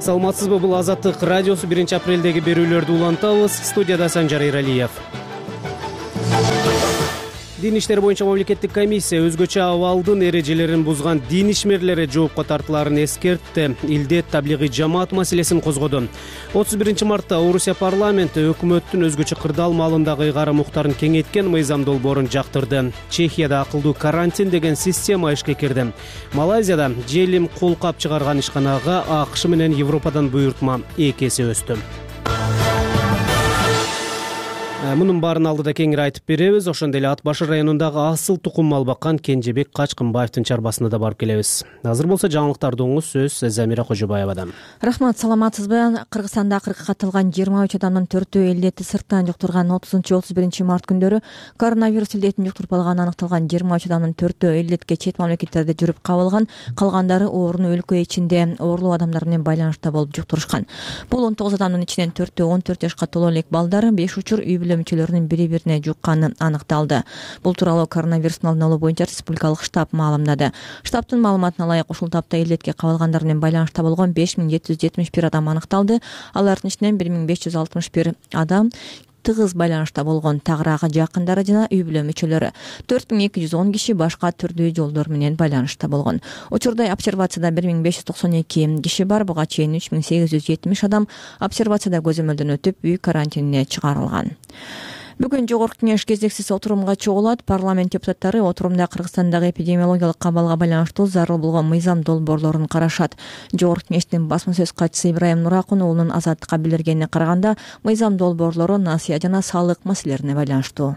Саламатсызбы, бул Азаттык радиосу 1-апрелдеги берүүлөрдү улантабыз. Студияда Санжар Эралиев. Дин иштери боюнча мамлекеттик комиссия өзгөчө абалдын эрежелерин бузган дин ишмерлери жоопко тартылаарын эскертти. Илдет таблигый жамаат маселесин козгоду. 31 мартта Орусия парламенти өкмөттүн өзгөчө кырдаал маалындагы ыйгарым уктарын кеңейткен мыйзам долбоорун жактырды. Чехияда акылдуу карантин деген система ишке кирди. Малайзияда желим колкап чыгарган ишканага АКШ менен Европадан буйртма 2 эсе өстү. Мунун баарын алдыда кеңири айтып беребиз. Ошондой эле Ат башы районундагы асыл тукум мал баккан Кенжебек Качкынбаевдин чарбасына да барып келебиз. Азыр болсо жаңылыктарды угуңуз, сөз Замира Кожобаевадан. Рахмат, саламатсызбы? Кыргызстанда акыркы катталган 23 адамдын 4-өө илдетти сырттан жуктурган 30-31 март күндөрү коронавирус илдетин жуктуруп алганы аныкталган 23 адамдын 4-өө илдетке чет мамлекеттерде жүрүп кабылган, калгандары оорууну өлкө ичинде оорлуу адамдар менен байланышта болуп жуктурушкан. Бул 19 адамдын ичинен 4-өө 14 жашка толо элек балдар, 5 учур үй бүлө мүчөлөрүнүн бири-бирине жукканы аныкталды. Бул тууралуу коронавирустун алдын алуу боюнча республикалык штаб маалымдады. Штабтын маалыматына ылайык ушул тапта илдетке кабылгандар менен байланышта болгон 5771 адам аныкталды. Алардын ичинен 1561 адам тыгыз байланышта болгон, тагыраагы жакындары жана үй бүлө мүчөлөрү. 4210 киши башка түрдүү жолдор менен байланышта болгон. Учурда обсервацияда 1592 киши бар. Буга чейин 3870 адам обсервацияда көзөмөлдөн өтүп, үй карантинине чыгарылган. Бүгүн Жогорку кеңеш кезектеси отурумга чогулат. Парламент депутаттары отурумда Кыргызстандагы эпидемиологиялык кабалга байланыштуу зарыл болгон мыйзам долбоорлорун карашат. Жогорку кеңештин басма сөз катчысы Ибрайым Нуракун уулунун Азаттыкка билдиргенине караганда, мыйзам долбоорлору насыя жана салык маселелерине байланыштуу.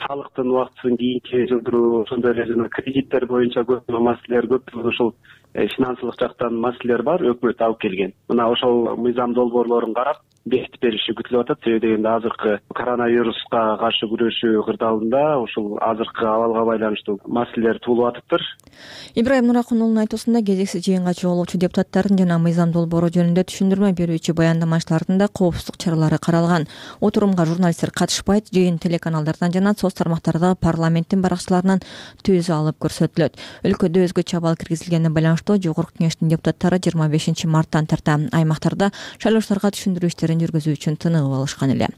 Салыктын убактысын кийинки жылдыруу, ошондой эле жана кредиттер боюнча көп маселелер көп. Ошол финансылык жактан маселелер бар, өкмөт алып келген. Мына ошол мыйзам долбоорлорун карап бекитип бериши күтүлүп атат. Себеби дегенде азыркы коронавируска каршы күрөшүү кырдаалында ушул азыркы абалга байланыштуу маселелер туулуп атыптыр. Ибрайым Нуракун уулунун айтуусунда, кезекси жыйынга чогулуучу депутаттардын жана мыйзам долбоору жөнүндө түшүндүрмө берүүчү баяндамачылардын да коопсуздук чаралары каралган. Отурумга журналисттер катышпайт. Жыйын телеканалдардан жана соц тармактарда парламенттин баракчыларынан түзү алып көрсөтүлөт. Өлкөдө өзгөчө абал киргизилгенине байланыштуу Жогорку кеңештин депутаттары 25 марттан тарта аймактарда шайлоочуларга түшүндүрүү иштерин жүргүзүү үчүн тыныгып алышкан эле.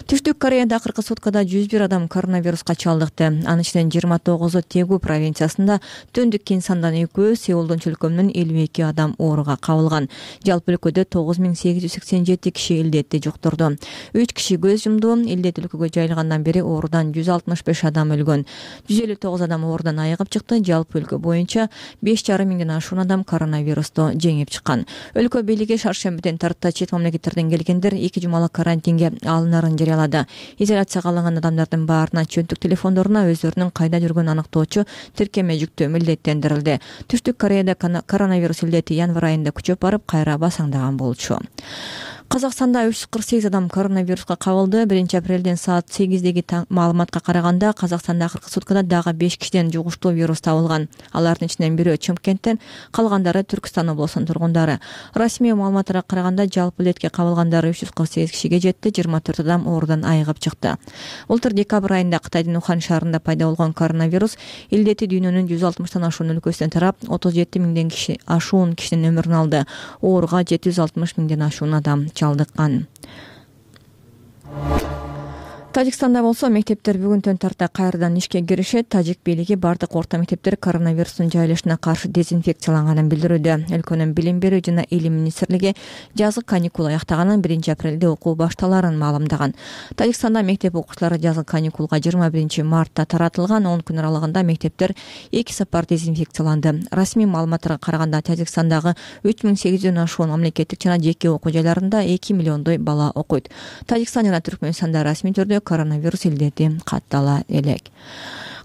Түштүк Кореяда акыркы суткада 101 адам коронавируска чалдыкты. Анын ичинен 29-у Тегу провинциясында, Төндүк Кинсандан 2-өө, Сеулдун чөлкөмүнөн 52 адам ооруга кабылган. Жалпы өлкөдө 9887 киши илдетти жуктурду. 3 киши көз жумду. Илдет өлкөгө жайылгандан бери оорудан 165 адам өлгөн. 159 адам оорудан айыгып чыкты. Жалпы өлкө боюнча 5,5 миңден ашуун адам коронавирусту жеңип чыккан. Өлкө бийлиги шаршембиден тарта чет мамлекеттерден келгендер 2 жумалык карантинге алынарын жарыялады. Изоляцияга алынган адамдардын баарына чөнтүк телефондоруна өздөрүнүн кайда жүргөнүн аныктоочу тиркеме жүктөө милдеттендирилди. Түштүк Кореяда коронавирус илдети январь айында күчөп барып, кайра басаңдаган болчу. Казакстанда 348 адам коронавируска кабылды. 1-апрелден саат 8деги маалыматка караганда, Казакстанда акыркы суткада дагы 5 кишиден жугуштуу вирус табылган. Алардын ичинен бирөө Чымкенттен, калгандары Түркстан облусунун тургундары. Расмий маалыматтарга караганда, жалпы илдетке кабылгандары 348 кишиге жетти, 24 адам оорудан айыгып чыкты. Былтыр декабрь айында Кытайдын Ухан шаарында пайда болгон коронавирус илдети дүйнөнүн 160тан ашуун өлкөсүнөн тарап, 37 миңден ашуун кишинин өмүрүн алды. Ооруга 760 миңден ашуун адам чалдыккан. Тажикстанда болсо мектептер бүгүнтөн тарта кайрадан ишке киришет. Тажик бийлиги бардык орто мектептер коронавирустун жайылышына каршы дезинфекцияланганын билдирүүдө. Өлкөнүн билим берүү жана илим министрлиги жазгы каникул аяктаганын, 1-апрелде окуу башталарын маалымдаган. Тажикстанда мектеп окуучулары жазгы каникулга 21 мартта таратылган. 10 күн аралыгында мектептер 2 сапар дезинфекцияланды. Расмий маалыматтарга караганда, Тажикстандагы 3800дөн ашуун мамлекеттик жана жеке окуу жайларында 2 миллиондой бала окуйт. Тажикстан жана Түркмөнстанда расмий түрдө коронавирус илдети каттала элек.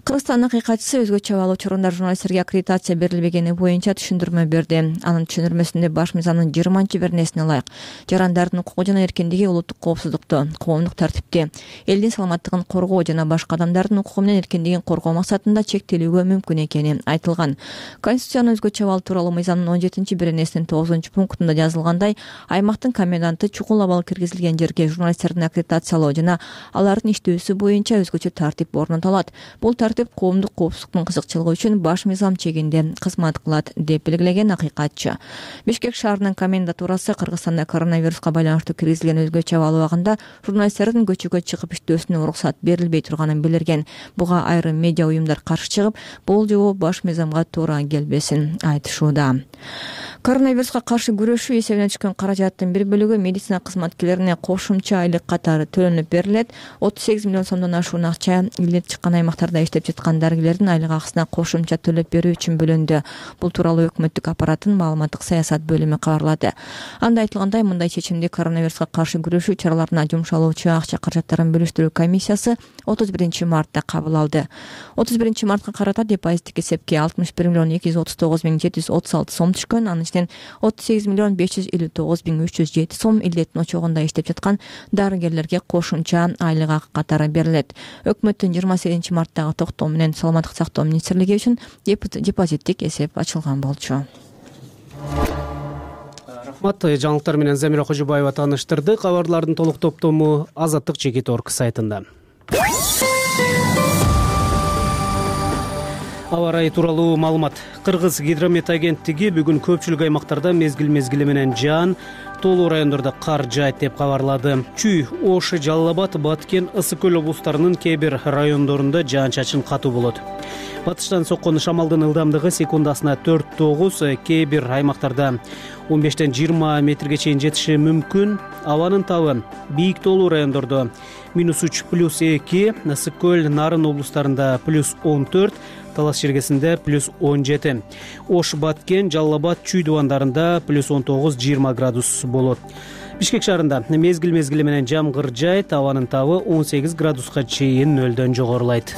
Кыргызстандын кыйкатчысы өзгөчө абал учурунда журналисттерге аккредитация берилбегени боюнча түшүндүрмө берди. Анын түшүндүрмөсүндө баш мыйзамдын 20-беренесине ылайык жарандардын укугу жана эркиндиги, улуттук коопсуздукту, коомдук тартипти, элдин саламаттыгын коргоо жана башка адамдардын укугу менен эркиндигин коргоо максатында чектелүүгө мүмкүн экени айтылган. Конституциянын өзгөчө абал тууралуу мыйзамдын 17-беренесинин 9-пунктунда жазылгандай, аймактын коменданты чукул абал киргизилген жерге журналисттердин аккредитациялоо жана алардын иштөөсү боюнча өзгөчө тартип орнотулат. Бул тартип эскертип, коомдук коопсуздуктун кызыкчылыгы үчүн баш мыйзам чегинде кызмат кылат деп белгилеген акыйкатчы. Бишкек шаарынын комендатурасы Кыргызстанда коронавируска байланыштуу киргизилген өзгөчө абал убагында журналисттердин көчөгө чыгып иштөөсүнө уруксат берилбей турганын билдирген. Буга айрым медиа уюмдар каршы чыгып, бул жобо баш мыйзамга туура келбесин айтышууда. Коронавируска каршы күрөшүү эсебине түшкөн каражаттын бир бөлүгү медицина кызматкерлерине кошумча айлык катары төлөнүп берилет. 38 миллион сомдон ашуун акча илдет чыккан аймактарда иштеп жаткан дарыгерлердин айлык акысына кошумча төлөп берүү үчүн бөлүндү. Бул тууралуу өкмөттүк аппараттын маалыматтык саясат бөлүмү кабарлады. Анда айтылгандай, мындай чечимди коронавируска каршы күрөшүү чараларына жумшалуучу акча каражаттарын бөлүштүрүү комиссиясы 31 мартта кабыл алды. 31 мартка карата депозиттик эсепке 61 миллион 239 миң 736 сом түшкөн. Анын ичинен 38 миллион 559 миң 307 сом илдеттин очогунда иштеп жаткан дарыгерлерге кошумча айлык акы катары берилет. Өкмөттүн 28 марттагы токтоо менен саламаттык сактоо министрлиги үчүн депозиттик эсеп ачылган болчу. Рахмат. Жаңылыктар менен Замира Кожобаева тааныштырды. Кабарлардын толук топтому Азаттык.org сайтында. Аба ырайы тууралуу маалымат. Кыргыз гидромет агенттиги бүгүн көпчүлүк аймактарда мезгил менен жаан, тоолуу райондордо кар жаайт деп кабарлады. Чүй, Ош, Жалал Абад, Баткен, Ысык көл облустарынын кээ бир райондорунда жаан-чачын катуу болот. Батыштан соккон шамалдын ылдамдыгы секундасына 4-9, кээ бир аймактарда 15-20 метрге чейин жетиши мүмкүн. Абанын табы бийик тоолуу райондордо -3 +2, Ысык көл, Нарын облустарында +14, Талас жергесинде +17. Ош, Баткен, Жалал Абад, Чүй дубандарында +19-20 градус болот. Бишкек шаарында мезгил менен жамгыр жаайт, абанын табы 18 градуска чейин нөлдөн жогорулайт.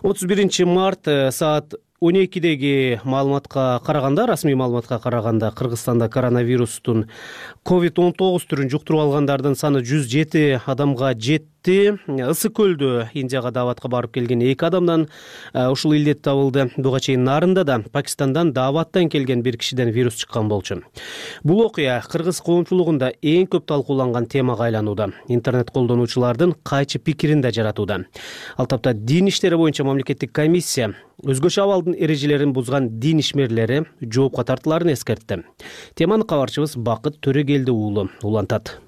31 март саат 12-деги маалыматка караганда, расмий маалыматка караганда, Кыргызстанда коронавирустун COVID-19 түрүн жуктуруп алгандардын саны 107 адамга жетти. Ысык көлдө Индияга дааватка барып келген 2 адамдан ушул илдет табылды. Буга чейин Нарында да Пакистандан дааваттан келген бир кишиден вирус чыккан болчу. Бул окуя кыргыз коомчулугунда эң көп талкууланган темага айланууда. Интернет колдонуучулардын кайчы пикирин да жаратууда. Ал тапта дин иштери боюнча мамлекеттик комиссия өзгөчө абалдын эрежелерин бузган дин ишмерлери жоопко тартыларын эскертти. Теманы кабарчыбыз Бакыт Төрөгелди уулу улантат.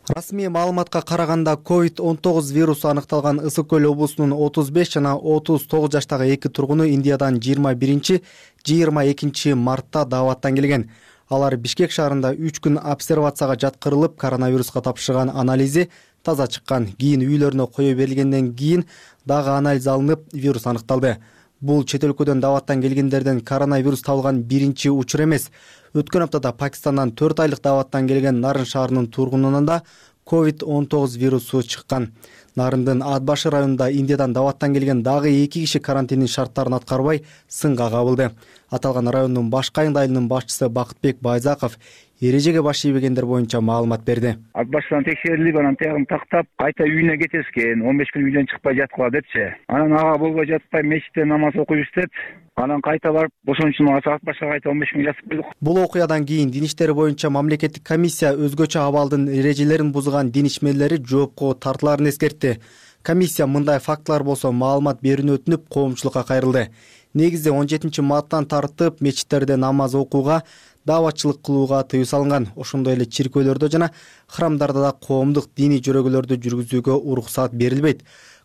Расмий маалыматка караганда COVID-19 вирусу аныкталган Ысык көл облусунун 35 жана 39 жаштагы 2 тургуну Индиядан 21-22 мартта дааваттан келген. Алар Бишкек шаарында 3 күн обсервацияга жаткырылып, коронавируска тапшырган анализи таза чыккан. Кийин үйлөрүнө кое берилгенден кийин дагы анализ алынып, вирус аныкталды. Бул чет өлкөдөн дааваттан келгендерден коронавирус табылган биринчи учур эмес. Өткөн аптада Пакистандан 4 айлык дааваттан келген Нарын шаарынын тургунунан да COVID-19 вирусу чыккан. Нарындын Атбашы районунда Индиядан дааваттан келген дагы 2 киши карантиндин шарттарын аткарбай сынга кабылды. Аталган райондун башкы айылынын башчысы Бакытбек Байзаков эрежеге баш ийбегендер боюнча маалымат берди. Атбаштан текшерилип, анан тиягын тактап, кайта үйүнө кетескен, 15 күн үйдөн чыкпай жаткыла депчи. Анан ага болбой жатпай мечитте намаз окуйбуз деп, анан кайта барып, ошончун Атбашка кайта 15 күн жатып койдук. Бул окуядан кийин дин иштери боюнча мамлекеттик комиссия өзгөчө абалдын эрежелерин бузган дин ишмерлери жоопко тартыларын эскертти. Комиссия мындай фактылар болсо маалымат берүүнү өтүнүп, коомчулукка кайрылды. Негизде 17 марттан тартып мечиттерде намаз окууга, дааватчылык кылууга тыюу салынган. Ошондой эле чиркөөлөрдө жана храмдарда да коомдук диний жөрөгөлөрдү жүргүзүүгө уруксат берилбейт.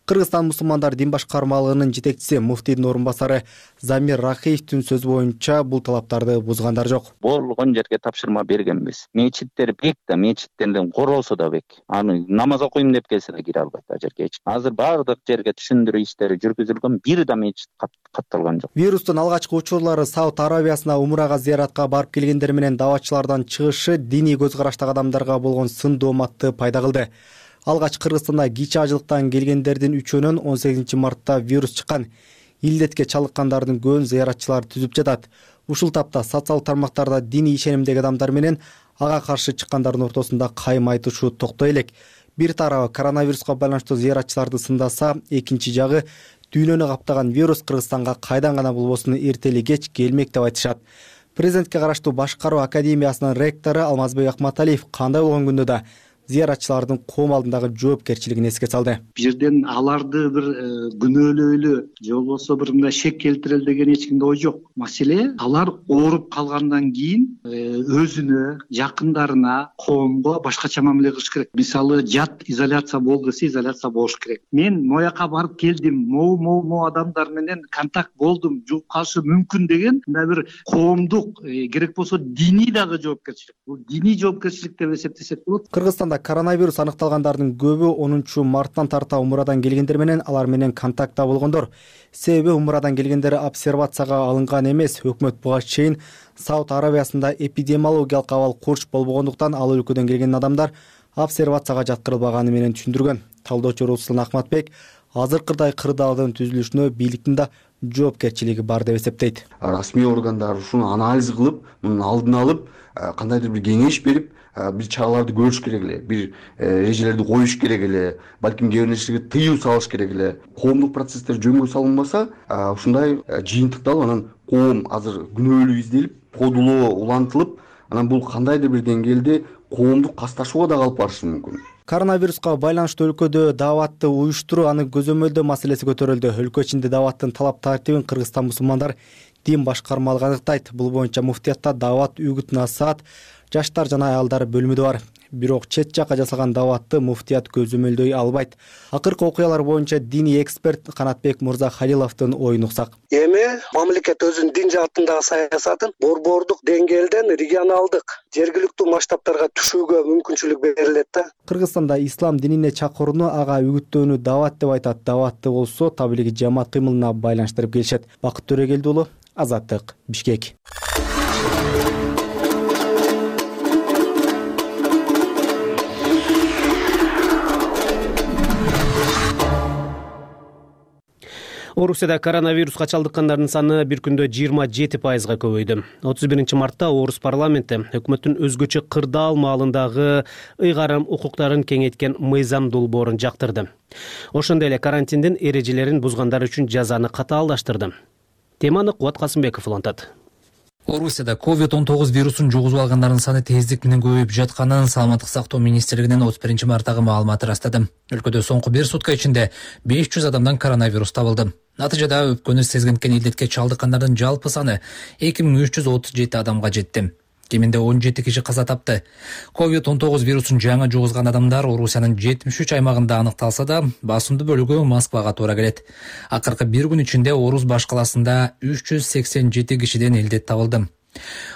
Кыргызстан мусулмандар дин башкармалыгынын жетекчиси, муфтийдин орун басары Замир Рахиевдин сөзү боюнча бул талаптарды бузгандар жок. Болгон жерге тапшырма бергенбиз. Мечиттер бек да, мечиттердин короосу да бек. Аны намаз окуйм деп келсе да кире албайт ал жерге. Азыр баардык жерге түшүндүрүү иштери жүргүзүлгөн, бир да мечит катталган жок. Вирустун алгачкы учурлары Сауд Арабиясына умрага зыяратка барып келгендер менен дааватчылардан чыгышы диний көз караштагы адамдарга болгон сын дооматты пайда кылды. Алгач Кыргызстанда кичи ажылыктан келгендердин 3-өнөн 18 мартта вирус чыккан. Илдетке чалыккандардын көбүн зыяратчылар түзүп жатат. Ушул тапта социалдык тармактарда диний ишенимдеги адамдар менен ага каршы чыккандардын ортосунда кайым айтышуу токтой элек. Бир тарабы коронавируска байланыштуу зыяратчыларды сындаса, экинчи жагы дүйнөнү каптаган вирус Кыргызстанга кайдан гана болбосун эртели кеч келмек деп айтышат. Президентке караштуу башкаруу академиясынын ректору Алмазбек Акматалиев кандай болгон күндө да зыяратчылардын коом алдындагы жоопкерчилигин эске салды. Бул жерден аларды бир күнөөлөөлү же болбосо бир мындай шек келтирели деген эч кимде ой жок. Маселе алар ооруп калгандан кийин өзүнө, жакындарына, коомго башкача мамиле кылыш керек. Мисалы жат изоляция болду десе изоляция болуш керек. Мен мояка барып келдим, могу адамдар менен контакт болдум, жугуп калышы мүмкүн деген мындай бир коомдук, керек болсо диний дагы жоопкерчилик. Бул диний жоопкерчилик деп эсептесек болот. Кыргызстанда коронавирус аныкталгандардын көбү 10-марттан тарта умрадан келгендер менен алар менен контактта болгондор. Себеби умрадан келгендер обсервацияга алынган эмес. Өкмөт буга чейин Сауд Арабиясында эпидемиологиялык абал курч болбогондуктан ал өлкөдөн келген адамдар обсервацияга жаткырылбаганы менен түшүндүргөн. Талдоочу Руслан Ахматбек азыркыдай кырдаалдын түзүлүшүнө бийликтин да жоопкерчилиги бар деп эсептейт. Расмий органдар ушуну анализ кылып, мунун алдын алып, кандайдыр бир кеңеш берип, бир чараларды көрүш керек эле, бир эрежелерди коюш керек эле, балким кээ бир нерселерге тыюу салыш керек эле. Коомдук процесстер жөнгө салынбаса, ушундай жыйынтыкталып, анан коом азыр күнөөлүү изделип, кодулоо улантылып, анан бул кандайдыр бир деңгээлде коомдук касташууга да алып барышы мүмкүн. Коронавируска байланыштуу өлкөдө дааватты уюштуруу, аны көзөмөлдөө маселеси көтөрүлдү. Өлкө ичинде дааваттын талап тартибин Кыргызстан мусулмандар дин башкармалыгы аныктайт. Бул боюнча муфтиятта даават, үгүт насаат, жаштар жана аялдар бөлүмү бар. Бирок чет жакка жасалган дааватты муфтият көзөмөлдөй албайт. Акыркы окуялар боюнча диний эксперт Канатбек Мырза Халиловдун оюн уксак. Эми мамлекет өзүнүн дин жаатындагы саясатын борбордук деңгээлден регионалдык, жергиликтүү масштабтарга түшүүгө мүмкүнчүлүк берилет да. Кыргызстанда ислам динине чакырууну, ага үгүттөөнү даават деп айтат. Дааватты болсо таблиги жамаат кыймылына байланыштырып келишет. Бакыт Төрөгелди уулу, Азаттык, Бишкек. Орусияда коронавируска чалдыккандардын саны бир күндө 27%га көбөйдү. 31-мартта Орус парламенти өкмөттүн өзгөчө кырдаал маалындагы ыйгарым укуктарын кеңейткен мыйзам долбоорун жактырды. Ошондой эле карантиндин эрежелерин бузгандар үчүн жазаны катаалдаштырды. Теманы Кубат Касымбеков улантат. Орусияда COVID-19 вирусун жугузуп алгандардын саны тездик менен көбөйүп жатканын Саламаттык сактоо министрлигинин 31-марттагы маалыматы ырастады. Өлкөдө соңку 1 сутка ичинде 500 адамдан коронавирус табылды. Натыйжада өпкөнү сезгенкен илдетке чалдыккандардын жалпы саны 2337 адамга жетти. Кеминде 17 киши каза тапты. COVID-19 вирусун жаңы жугузган адамдар Орусиянын 73 аймагында аныкталса да, басымдуу бөлүгү Москвага туура келет. Акыркы бир күн ичинде Орус баш каласында 387 кишиден илдет табылды.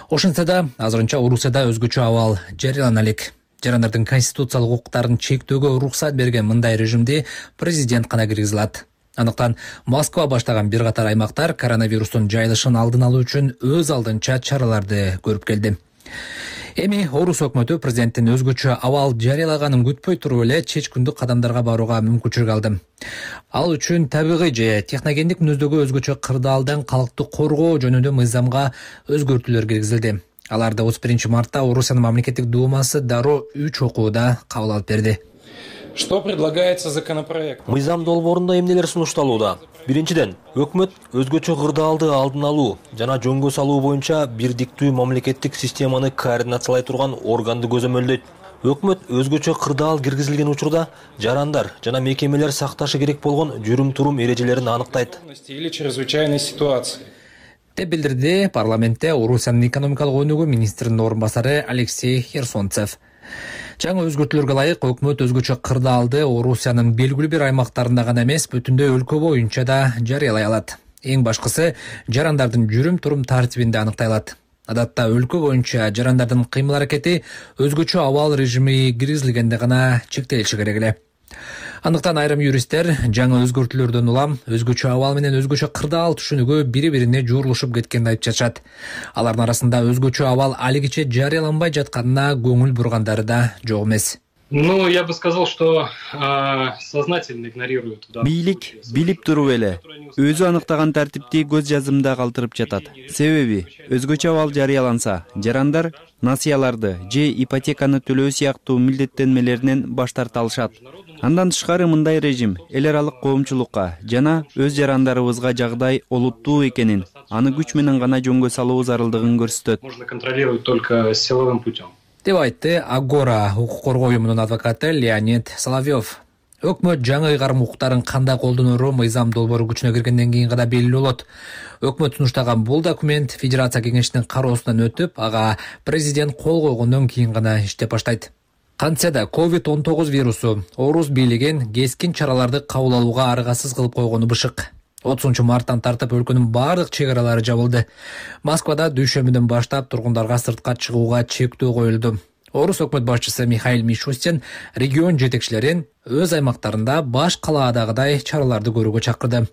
Ошентсе да, азырынча Орусияда өзгөчө абал жарыялана элек. Жарандардын конституциялык укуктарын чектөөгө уруксат берген мындай режимди президент гана киргизе алат. Андыктан Москва баштаган бир катар аймактар коронавирустун жайылышын алдын алуу үчүн өз алдынча чараларды көрүп келди. Эми Орус өкмөтү президенттин өзгөчө абал жарыялаганын күтпөй туруп эле чечкиндүү кадамдарга барууга мүмкүнчүлүк алды. Ал үчүн табигый же техногендик мүнөздөгү өзгөчө кырдаалдан калкты коргоо жөнүндө мыйзамга өзгөртүүлөр киргизилди. Аларды 31-мартта Орусиянын мамлекеттик думасы дароо 3 окууда кабыл алып берди. Что предлагается законопроект? Мыйзам долбоорунда эмнелер сунушталууда? Биринчиден, өкмөт өзгөчө кырдаалды алдын алуу жана жөнгө салуу боюнча бирдиктүү мамлекеттик системаны координациялай турган органды көзөмөлдөйт. Өкмөт өзгөчө кырдаал киргизилген учурда жарандар жана мекемелер сакташы керек болгон жүрүм-турум эрежелерин аныктайт. Или чрезвычайной ситуации. Деп билдирди парламентте Орусиянын экономикалык өнүгүү министринин орун басары Алексей Херсонцев. Жаңы өзгөртүүлөргө ылайык өкмөт өзгөчө кырдаалды Орусиянын белгилүү бир аймактарында гана эмес, бүтүндөй өлкө боюнча да жарыялай алат. Эң башкысы жарандардын жүрүм-турум тартибинде аныктай алат. Адатта өлкө боюнча жарандардын кыймыл-аракети өзгөчө абал режими киргизилгенде гана чектелиши керек эле. Андыктан айрым юристтер жаңы өзгөртүүлөрдөн улам өзгөчө абал менен өзгөчө кырдаал түшүнүгү бири-бирине жуурулушуп кеткенин айтып жатышат. Алардын арасында өзгөчө абал алигиче жарыяланбай жатканына көңүл бургандары да жок эмес. Ну, я бы сказал, что сознательно игнорируют. Бийлик билип туруп эле өзү аныктаган тартипти көз жазымда калтырып жатат. Себеби өзгөчө абал жарыяланса, жарандар насыяларды же ипотеканы төлөө сыяктуу милдеттенмелеринен баш тарта алышат. Андан тышкары мындай режим эл аралык коомчулукка жана өз жарандарыбызга жагдай олуттуу экенин, аны күч менен гана жөнгө салуу зарылдыгын көрсөтөт. Можно контролировать только силовым путем. деп айтты Агора укук коргоо уюмунун адвокаты Леонид Соловьев. Өкмөт жаңы ыйгарым укуктарын кандай колдонору мыйзам долбоору күчүнө киргенден кийин гана белгилүү болот. Өкмөт сунуштаган бул документ Федерация кеңешинин кароосунан өтүп, ага президент кол койгондон кийин гана иштеп баштайт. Кантсе да COVID-19 вирусу орус бийлигин кескин чараларды кабыл алууга аргасыз кылып койгону бышык. 30-марттан тартып өлкөнүн бардык чек аралары жабылды. Москвада дүйшөмбүдөн баштап тургундарга сыртка чыгууга чектөө коюлду. Орус өкмөт башчысы Михаил Мишустин регион жетекчилерин өз аймактарында баш калаадагыдай чараларды көрүүгө чакырды.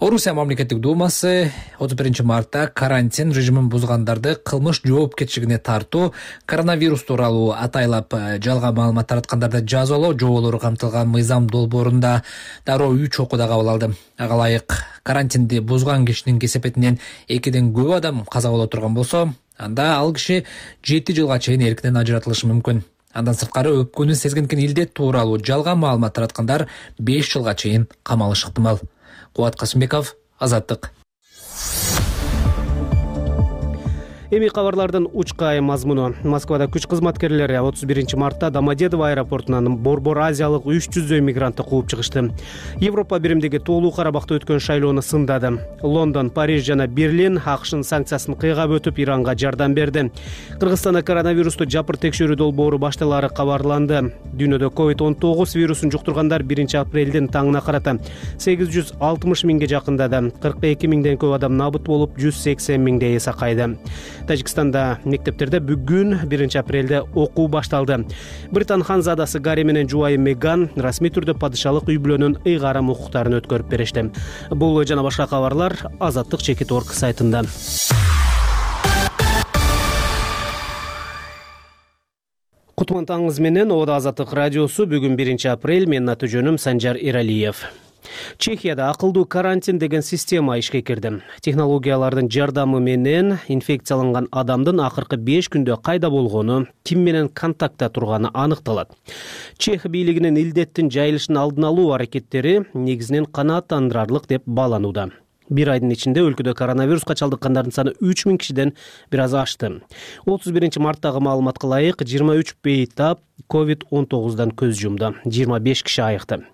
Орусия мамлекеттик думасы 31-мартта карантин режимин бузгандарды кылмыш жоопкерчилигине тартуу, коронавирус тууралуу атайлап жалган маалымат тараткандарды жазалоо жоболору камтылган мыйзам долбоорунда дароо 3 окууда кабыл алды. Ага ылайык карантинди бузган кишинин кесепетинен 2ден көп адам каза боло турган болсо, анда ал киши 7 жылга чейин эркинен ажыратылышы мүмкүн. Андан сырткары өпкөнү сезгенкен илдет тууралуу жалган маалымат тараткандар 5 жылга чейин камалышы ыктымал. Кубат Касымбеков, Азаттык. Эми кабарлардын учкай мазмуну. Москвада күч кызматкерлери 31-мартта Домодедово аэропортунан Борбор Азиялык 300 мигрантты кууп чыгышты. Европа биримдеги тоолуу Карабакта өткөн шайлоону сындады. Лондон, Париж жана Берлин АКШнын санкциясын кыйгап өтүп Иранга жардам берди. Кыргызстанда коронавирусту жапыр текшерүү долбоору башталары кабарланды. Дүйнөдө COVID-19 вирусун жуктургандар 1-апрелдин таңына карата 860 миңге жакындады. 42 миңден көп адам набыт болуп, 180 миңдей сакайды. Тажикстанда мектептерде бүгүн 1-апрелде окуу башталды. Британ ханзадасы Гарри менен жубайы Меган расмий түрдө падышалык үй бүлөнүн ыйгарым укуктарын өткөрүп беришти. Бул жана башка кабарлар Азаттык.org сайтында. Кутман таңыңыз менен Ода Азаттык радиосу. Бүгүн 1-апрель. Менин аты жөнүм Санжар Иралиев. Чехияда акылдуу карантин деген система ишке кирди. Технологиялардын жардамы менен инфекцияланган адамдын акыркы 5 күндө кайда болгону, ким менен контактта турганы аныкталат. Чех бийлигинин илдеттин жайылышын алдын алуу аракеттери негизинен канааттандырарлык деп бааланууда. Bir айдын ичинде өлкөдө коронавируска чалдыккандардын саны 3000 кишиден бир аз ашты. 31-марттагы маалыматка ылайык 23 бейтап COVID-19дан көз жумду. 25 киши айыкты.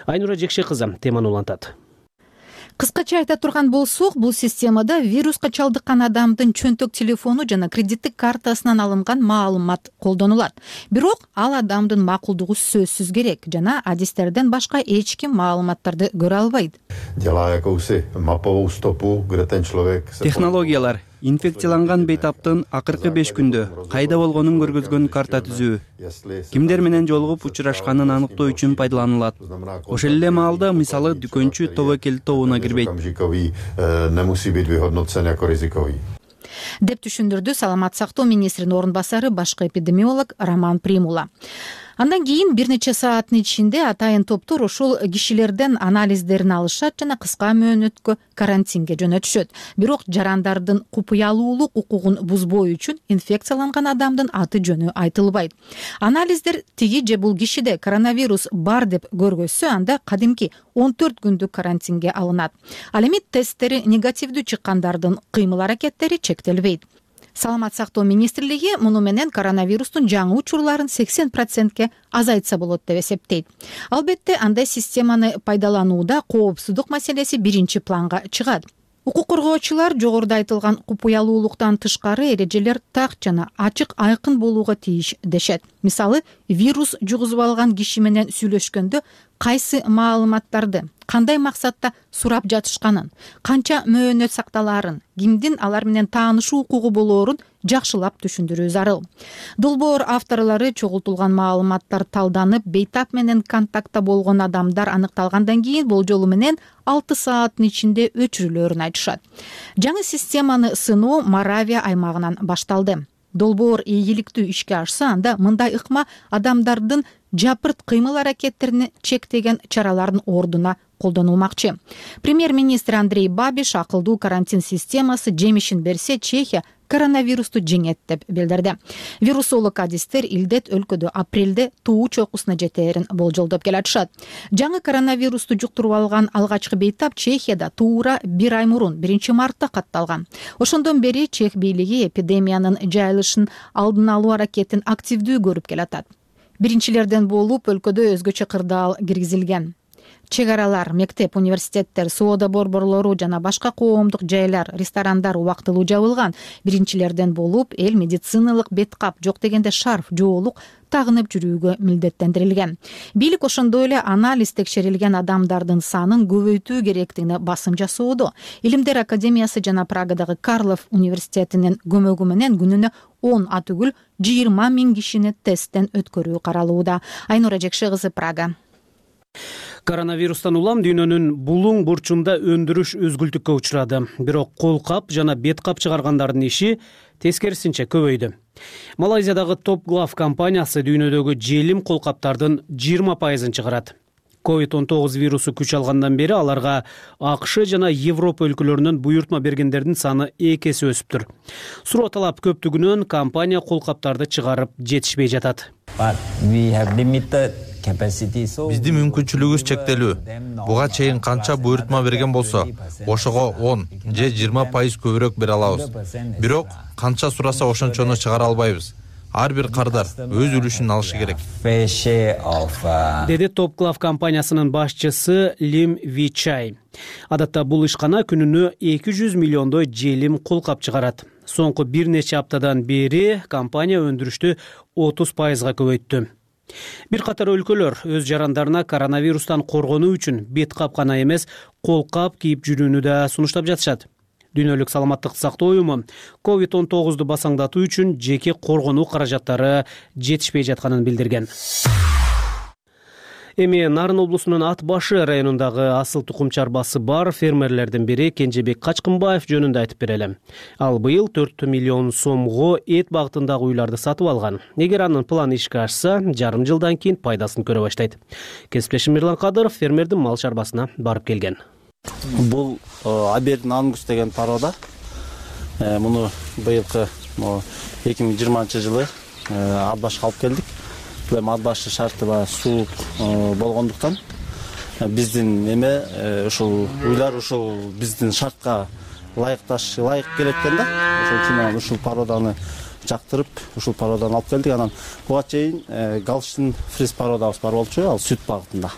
Айнура Жекше кызы теманы улантат. Кыскача айта турган болсок, бул системада вируска чалдыккан адамдын чөнтөк телефону жана кредиттик картасынан алынган маалымат колдонулат. Бирок ал адамдын макулдугу сөзсүз керек жана адистерден башка эч ким маалыматтарды көрө албайт. Технологиялар инфекцияланган бейтаптын акыркы 5 күндө кайда болгонун көргөзгөн карта түзүү, кимдер менен жолугуп учурашканын аныктоо үчүн пайдаланылат. Ошол эле маалда мисалы дүкөнчү тобокел тобуна кирбейт деп түшүндүрдү Саламат сактоо министринин орун басары башкы эпидемиолог Роман Примула. Андан кийин бир нече сааттын ичинде атайын топтор ошол кишилерден анализдерин алышат жана кыска мөөнөткө карантинге жөнөтүшөт. Бирок жарандардын купуялуулук укугун бузбоо үчүн инфекцияланган адамдын аты жөнү айтылбайт. Анализдер тиги же бул кишиде коронавирус бар деп көргөзсө, анда кадимки 14 күндүк карантинге алынат. Ал эми тесттери негативдүү чыккандардын кыймыл аракеттери чектелбейт. Саламат сактоо министрлиги муну менен коронавирустун жаңы учурларын 80%ке азайтса болот деп эсептейт. Албетте андай системаны пайдаланууда коопсуздук маселеси биринчи планга чыгат. Укук коргоочулар жогоруда айтылган купуялуулуктан тышкары эрежелер так жана ачык айкын болууга тийиш дешет. Мисалы, вирус жугузуп алган киши менен сүйлөшкөндө кайсы маалыматтарды, кандай максатта сурап жатышканын, канча мөөнөт сакталаарын, кимдин алар менен таанышуу укугу болоорун жакшылап түшүндүрүү зарыл. Долбоор авторлору чогултулган маалыматтар талданып, бейтап менен контактта болгон адамдар аныкталгандан кийин болжолу менен 6 сааттын ичинде өчүрүлөөрүн айтышат. Жаңы системаны сыноо Моравия аймагынан башталды. Долбоор ийгиликтүү ишке ашса, анда мындай ыкма адамдардын жапырт кыймыл аракеттерин чектеген чаралардын ордуна колдонулмакчы. Премьер-министр Андрей Бабиш акылдуу карантин системасы жемишин берсе, Чехия коронавирусту жеңет деп билдирди. Вирусолог адистер илдет өлкөдө апрелде туу чокусуна жетээрин болжолдоп келатышат. Жаңы коронавирусту жуктуруп алган алгачкы бейтап Чехияда туура 1 ай мурун 1 мартта катталган. Ошондон бери чех бийлиги эпидемиянын жайылышын алдын алуу аракетин активдүү көрүп келатат. Биринчилерден болуп өлкөдө өзгөчө кырдаал киргизилген. Чек аралар, мектеп, университеттер, соода борборлору жана башка коомдук жайлар, ресторандар убактылуу жабылган. Биринчилерден болуп эл медициналык бет кап, жок дегенде шарф, жоолук тагынып жүрүүгө милдеттендирилген. Бийлик ошондой эле анализ текшерилген адамдардын санын көбөйтүү керектигине басым жасоодо. Илимдер академиясы жана Прагадагы Карлов университетинин көмөгү менен күнүнө 10 атүгүл 20 000 кишини тесттен өткөрүү каралууда. Айнура Жекше кызы, Прага. Коронавирустан улам дүйнөнүн булуң бурчунда өндүрүш өзгүлтүккө учурады. Бирок кол кап жана бет кап чыгаргандардын иши тескерисинче көбөйдү. Малайзиядагы Top Glove компаниясы дүйнөдөгү желим кол каптардын 20% чыгарат. COVID-19 вирусу күч алгандан бери аларга АКШ жана Европа өлкөлөрүнөн буйртма бергендердин саны 2 эсе өсүптүр. Суроо талап көптүгүнөн компания кол каптарды чыгарып жетишпей жатат. Биздин мүмкүнчүлүгүбүз чектелүү. Буга чейин канча буйртма берген болсо, ошого 10 же 20% көбүрөөк бере алабыз. Бирок канча сураса ошончону чыгара албайбыз. Ар бир кардар өз үлүшүн алышы керек. Деди Top Glove компаниясынын башчысы Лим Вичай. Адатта бул ишкана күнүнө 200 миллиондой желим кол кап чыгарат. Соңку бир нече аптадан бери компания өндүрүштү 30%га көбөйттү. Бир катар өлкөлөр өз жарандарына коронавирустан коргонуу үчүн бет кап гана эмес, кол кап кийип жүрүүнү да сунуштап жатышат. Дүйнөлүк саламаттыкты сактоо уюму COVID-19 басаңдатуу үчүн жеке коргонуу каражаттары жетишпей жатканын билдирген. Эми Нарын облусунун Ат башы районундагы асыл тукум чарбасы бар фермерлердин бири Кенжебек Качкынбаев жөнүндө айтып берели. Ал быйыл 4 миллион сомго эт багытындагы уйларды сатып алган. Эгер анын планы ишке ашса, жарым жылдан кийин пайдасын көрө баштайт. Кесиптешим Мирлан Кадыров фермердин мал чарбасына барып келген. Бул Абердин Ангус деген порода. Муну быйылкы 2020 жылы Ат башка алып келдик. Ат башы шарты суук болгондуктан биздин ушул уйлар ушул биздин шартка лайык келет экен да. Ошол үчүн ушул породаны жактырып, ушул породаны алып келдик. Анан буга чейин Галштин фриз породабыз бар болчу, ал сүт багытында.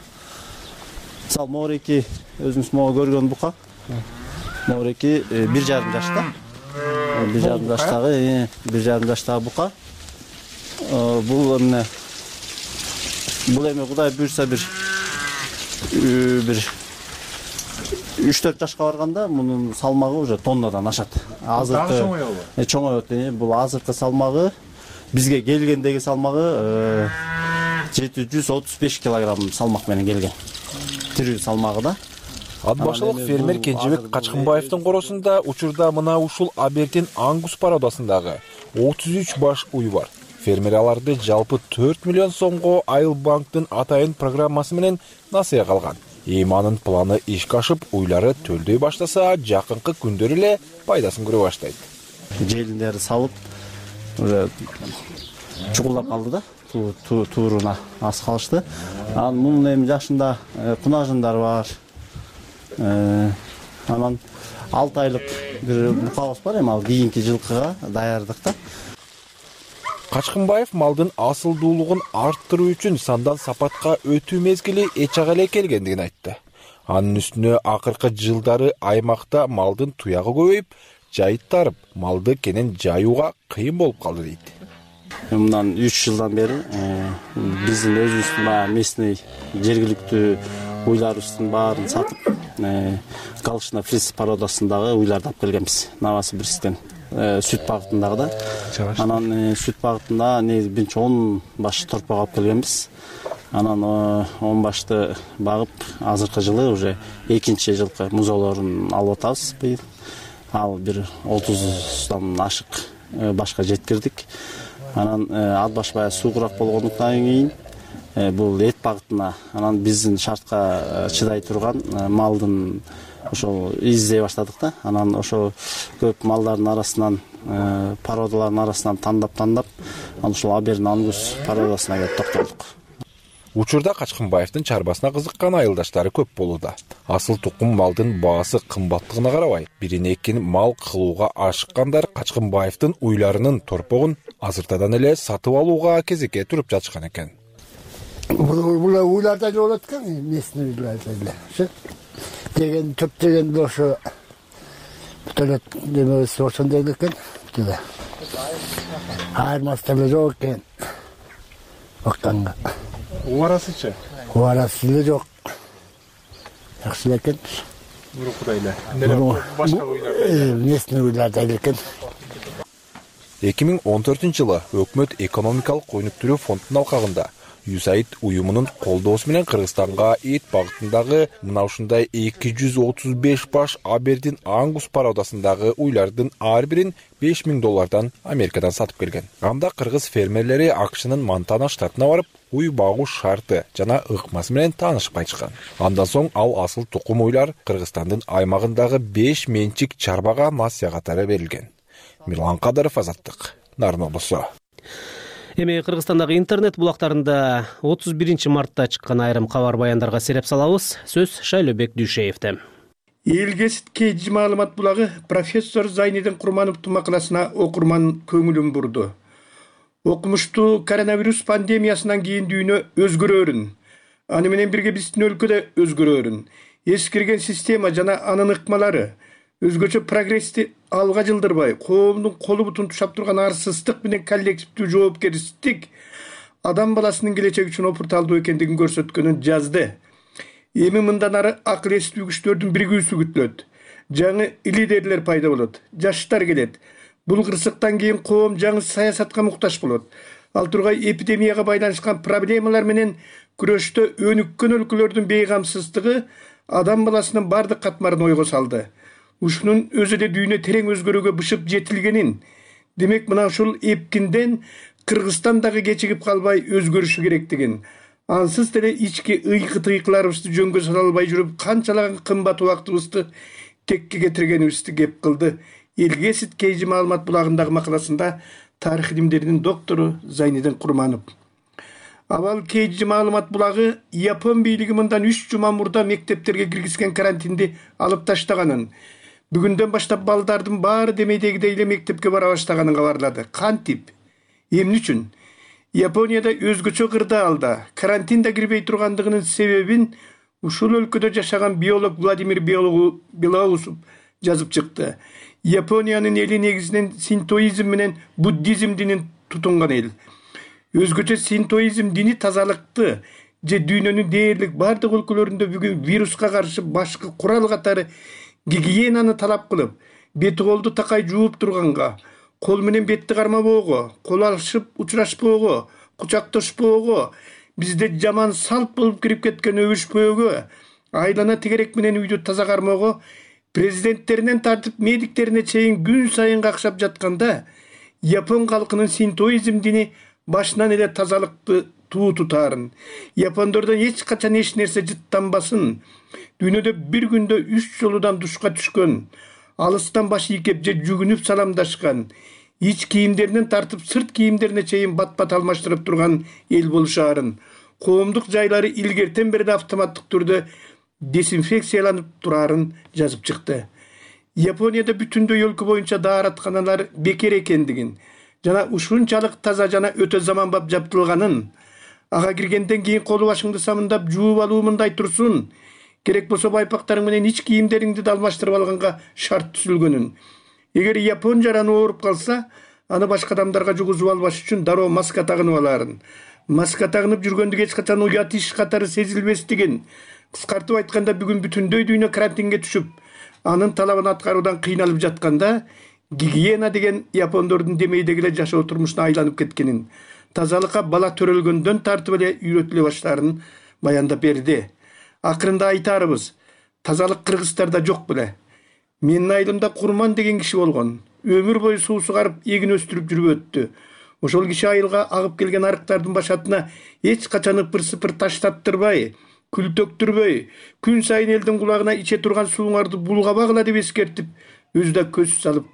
Мисалы Мореки өзүңүз могу көргөн бука. Мореки 1,5 жашта. 1,5 жаштагы, 1,5 жаштагы бука. Бул эми Кудай буйрса бир 3-4 жашка барганда мунун салмагы уже тоннадан ашат. Азыркы чоңоет. Бул азыркы салмагы бизге келгендеги салмагы 735 килограмм салмак менен келген. Тирүү салмагы да. Ат башылык фермер Кенжебек Качкынбаевдин коросунда учурда мына ушул Абердин Ангус породасындагы 33 баш уй бар. Фермер аларды жалпы 4 миллион сомго Айыл банктын атайын программасы менен насыя калган. Эми анын планы ишке ашып, уйлары төлдөй баштаса, жакынкы күндөр эле пайдасын көрө баштайт. Желиндери салып, уже чукулдап калды да, тууруна аз калышты. Мунун эми жашында кунажындар бар. Анан 6 айлык бир букабыз бар, эми ал кийинки жылкыга даярдык да. Качкынбаев малдын асылдуулугун арттыруу үчүн сандан сапатка өтүү мезгили эч ага эле келгендигин айтты. Анын үстүнө акыркы жылдары аймакта малдын туягы көбөйүп, жайыттарып, малды кенен жайууга кыйын болуп калды дейт. Мындан 3 жылдан бери биздин өзүбүздүн местный жергиликтүү уйларыбыздын баарын сатып, Галштин фриз породасындагы уйларды алып келгенбиз. Новосибирсктен сүт багытындагы да. Анан сүт багытында биринчи 10 баш торпок алып келгенбиз. Анан 10 башты багып, азыркы жылы уже экинчи жылкы музоолорун алып атабыз быйыл. Ал бир 30дан ашык башка жеткирдик. Анан ат баш баягы суугураак болгондуктан кийин бул эт багытына, анан биздин шартка чыдай турган малдын ошол издей баштадык да. Анан ошол көп малдардын арасынан, породалардын арасынан тандап анан ушул Абердин Ангус породасына келип токтолдук. Учурда Качкынбаевдин чарбасына кызыккан айылдаштары көп болууда. Асыл тукум малдын баасы кымбаттыгына карабай, бирин экин мал кылууга ашыккандар Качкынбаевдин уйларынын торпогун азыртадан эле сатып алууга кезекке туруп жатышкан экен. Бул уйлардан болот экен, местный уйлардан эле. Деген көптөгөн ошо төлөт демебиз ошондой экен. Айырмасы деле жок экен. Бакканга. Убарасычы? Убарасы деле жок. Жакшы экен. Мурукудай эле. Башка уйлар. Местный уйлардан экен. 2014-жылы өкмөт экономикалык өнүктүрүү фондунун алкагында USAID уюмунун колдоосу менен Кыргызстанга эт багытындагы мына ушундай 235 баш Абердин Ангус породасындагы уйлардын ар бирин $5000 Америкадан сатып келген. Анда кыргыз фермерлери АКШнын Монтана штатына барып, уй багуу шарты жана ыкмасы менен таанышып кайтышкан. Андан соң ал асыл тукум уйлар Кыргызстандын аймагындагы 5 менчик чарбага насыя катары берилген. Мирлан Кадыров, Азаттык, Нарын облусу. Эми Кыргызстандагы интернет булактарында 31 мартта чыккан айрым кабар баяндарга сереп салабыз. Сөз Шайлообек Дүйшеевде. Элгесит KG маалымат булагы профессор Зайнидин Курмановдун макаласына окурман көңүлүн бурду. Окумуштуу коронавирус пандемиясынан кийин дүйнө өзгөрөөрүн, аны менен бирге биздин өлкөдө өзгөрөөрүн, эскирген система жана анын ыкмалары өзгөчө прогрессти алга жылдырбай, коомдун колу бутун тушап турган арсыздык менен коллективдүү жоопкерчилик адам баласынын келечеги үчүн опурталдуу экендигин көрсөткөнүн жазды. Эми мындан ары акыл эстүү күчтөрдүн биригүүсү күтүлөт. Жаңы лидерлер пайда болот, жаштар келет. Бул кырсыктан кийин коом жаңы саясатка муктаж болот. Ал тургай эпидемияга байланышкан проблемалар менен күрөштө өнүккөн өлкөлөрдүн бейгамсыздыгы адам баласынын бардык катмарын ойго салды. Ушунун өзү да дүйнө терең өзгөрүүгө бышып жетилгенин, демек мына ушул эпкинден Кыргызстан дагы кечигип калбай өзгөрүшү керектигин, ансыз деле ички ыйкы-тыйкыларыбызды жөнгө сала албай жүрүп канчалаган кымбат убактыбызды текке кетиргенибизди кеп кылды. Элгесит KG маалымат булагындагы макаласында тарых илимдеринин доктору Зайнидин Курманов. Абал KG маалымат булагы Япон бийлиги мындан 3 жума мурда мектептерге киргизген карантинди алып таштаганын, бүгүндөн баштап балдардын баары демейдегидей эле мектепке бара баштаганын кабарлады. Кантип? Эмне үчүн? Японияда өзгөчө кырдаалда карантинде кирбей тургандыгынын себебин ушул өлкөдө жашаган биолог Владимир Белоусов жазып чыкты. Япониянын эли негизинен синтоизм менен буддизм динин тутунган эл. Өзгөчө синтоизм дини тазалыкты же дүйнөнүн дээрлик бардык өлкөлөрүндө бүгүн вируска каршы башкы курал катары гигиенаны талап кылып, бети колду такай жууп турганга, кол менен бетти кармабоого, кол алышып учурашпоого, кучакташпоого, бизде жаман салт болуп кирип кеткен өбүшпөөгө, айлана тегерек менен үйдү таза кармоого, президенттеринен тартып медиктерине чейин күн сайын какшап жатканда, Япон калкынын синтоизм дини башынан эле тазалыкты туу тутаарын, япондордон эч качан эч нерсе жыттанбасын, дүйнөдө бир күндө 3 жолудан душка түшкөн, алыстан баш ийкеп же жүгүнүп саламдашкан, ич кийимдеринен тартып сырт кийимдерине чейин бат-бат алмаштырып турган эл болушаарын, коомдук жайлары илгертен бери автоматтык түрдө дезинфекцияланып тураарын жазып чыкты. Японияда бүтүндөй өлкө боюнча дааратканалар бекер экендигин жана ушунчалык таза жана өтө заманбап жабдылганын, ага киргенден кийин колу башыңды самындап жууп алуу мындай турсун, керек болсо байпактарың менен ич кийимдериңди да алмаштырып алганга шарт түзүлгөнүн. Эгер Япон жараны ооруп калса, аны башка адамдарга жугузуп албаш үчүн дароо маска тагынып алаарын. Маска тагынып жүргөндүк эч качан уят иш катары сезилбестигин, кыскартып айтканда бүгүн бүтүндөй дүйнө карантинге түшүп, анын талабын аткаруудан кыйналып жатканда, гигиена деген япондордун демейдеги эле жашоо турмушуна айланып кеткенин, тазалыкка бала төрөлгөндөн тартып эле үйрөтүлө баштаарын баяндап берди. Акырында айтарыбыз, тазалык кыргыздарда жок беле. Менин айылымда Курман деген киши болгон. Өмүр бою суу сугарып, эгин өстүрүп жүрүп өттү. ошол киши айылга агып келген арыктардын башатына эч качан ыпыр-сыпыр таштаттырбай, күлтөктүрбөй, күн сайын элдин кулагына иче турган сууңарды булгабагыла деп эскертип, өзү да көз салып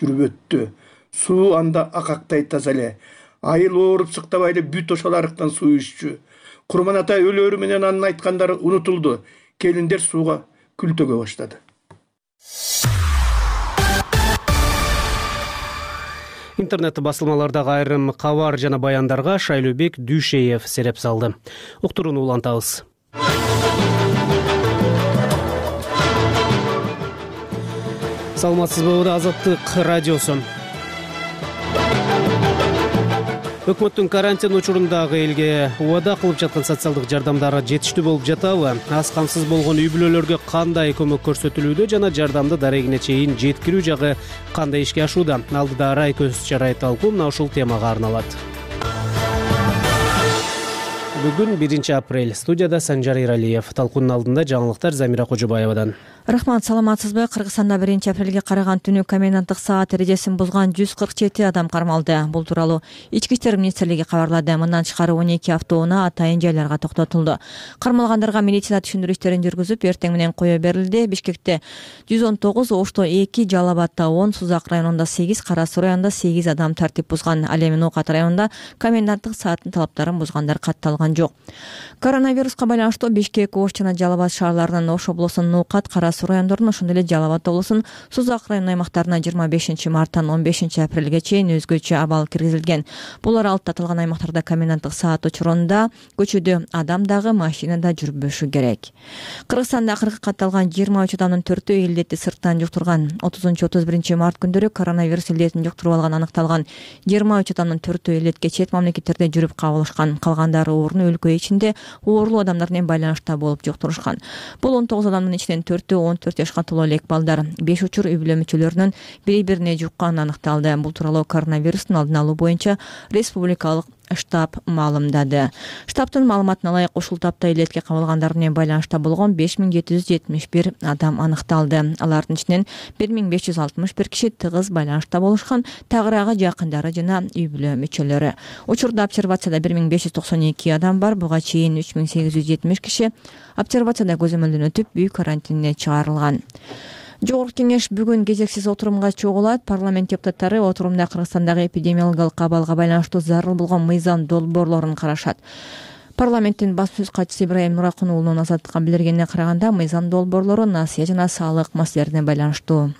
жүрүп өттү. Суу анда акактай таза эле. Айыл ооруп сыктабай эле бүт ошол арыктан суу иччү. Курман ата өлөөрү менен анын айткандары унутулду. Келиндер сууга күлтөгө баштады. Интернет басылмалардагы айрым кабар жана баяндарга Шайлообек Дүйшеев сереп салды. Уктурууну улантабыз. Саламатсызбы, Азаттык радиосу. Өкмөттүн карантин учурундагы элге убада кылып жаткан социалдык жардамдары жетиштүү болуп жатабы? Аз камсыз болгон үй бүлөлөргө кандай көмөк көрсөтүлүүдө жана жардамды дарегине чейин жеткирүү жагы кандай ишке ашууда? Алдыда Арай көз чарай талкуу мына ушул темага арналат. Бүгүн 1 апрель. Студияда Санжар Иралиев. Талкуунун алдында жаңылыктар Замира Кожобаевадан. Рахмат, саламатсызбы? Кыргызстанда 1 апрелге караган түнү коменданттык саат эрежесин бузган 147 адам кармалды. Бул тууралуу Ички иштер министрлиги кабарлады. Мындан тышкары 12 автоунаа атайын жайларга токтотулду. Кармалгандарга медицина түшүндүрүү иштерин жүргүзүп, эртең менен кое берилди. Бишкекте 119, Ошто 2, Жалал абадта 10, Сузак районунда 8, Кара Суу районунда 8 адам тартип бузган. Ал эми Ноокат районунда коменданттык сааттын талаптарын бузгандар катталган жок. Коронавируска байланыштуу Бишкек, Ош жана Жалал абад шаарларынын Ош облусунун Ноокат, Кара Суу райондорунун, ошондой эле Жалал абад облусунун Сузак районунун аймактарына 25 марттан 15 апрелге чейин өзгөчө абал киргизилген. Булар алты аталган аймактарда коменданттык саат учурунда көчөдө адам дагы, машина да жүрбөшү керек. Кыргызстанда акыркы катталган 23 адамдын 4-өө илдетти сырттан жуктурган. 30-31 март күндөрү коронавирус илдетин жуктуруп алган аныкталган 23 адамдын 4-өө илдетке чет мамлекеттерде жүрүп кабылышкан. Калгандары орун өлкө ичинде оорлуу адамдар менен байланышта болуп жуктурушкан. Бул 19 адамдын ичинен 4-өө 14 жашка толо элек балдар. 5 учур үй бүлө мүчөлөрүнүн бири-бирине жукканы аныкталды. Бул тууралуу коронавирустун алдын алуу боюнча республикалык штаб маалымдады. Штабтын маалыматына ылайык ушул тапта илетке кабылгандар менен байланышта болгон 5771 адам аныкталды. Алардын ичинен 1561 киши тыгыз байланышта болушкан, тагыраагы жакындары жана үй бүлө мүчөлөрү. Учурда обсервацияда 1592 адам бар. Буга чейин 3870 киши обсервацияда көзөмөлдөн өтүп үй карантинине чыгарылган. Жогорку кеңеш бүгүн кезексиз отурумга чогулат. Парламент депутаттары отурумда Кыргызстандагы эпидемиологиялык абалга байланыштуу зарыл болгон мыйзам долбоорлорун карашат. Парламенттин баш сөз катчысы Ибраим Нуракун уулунун Азаттыкка билдиргенине караганда, мыйзам долбоорлору насыя жана саалык маселелерине байланыштуу.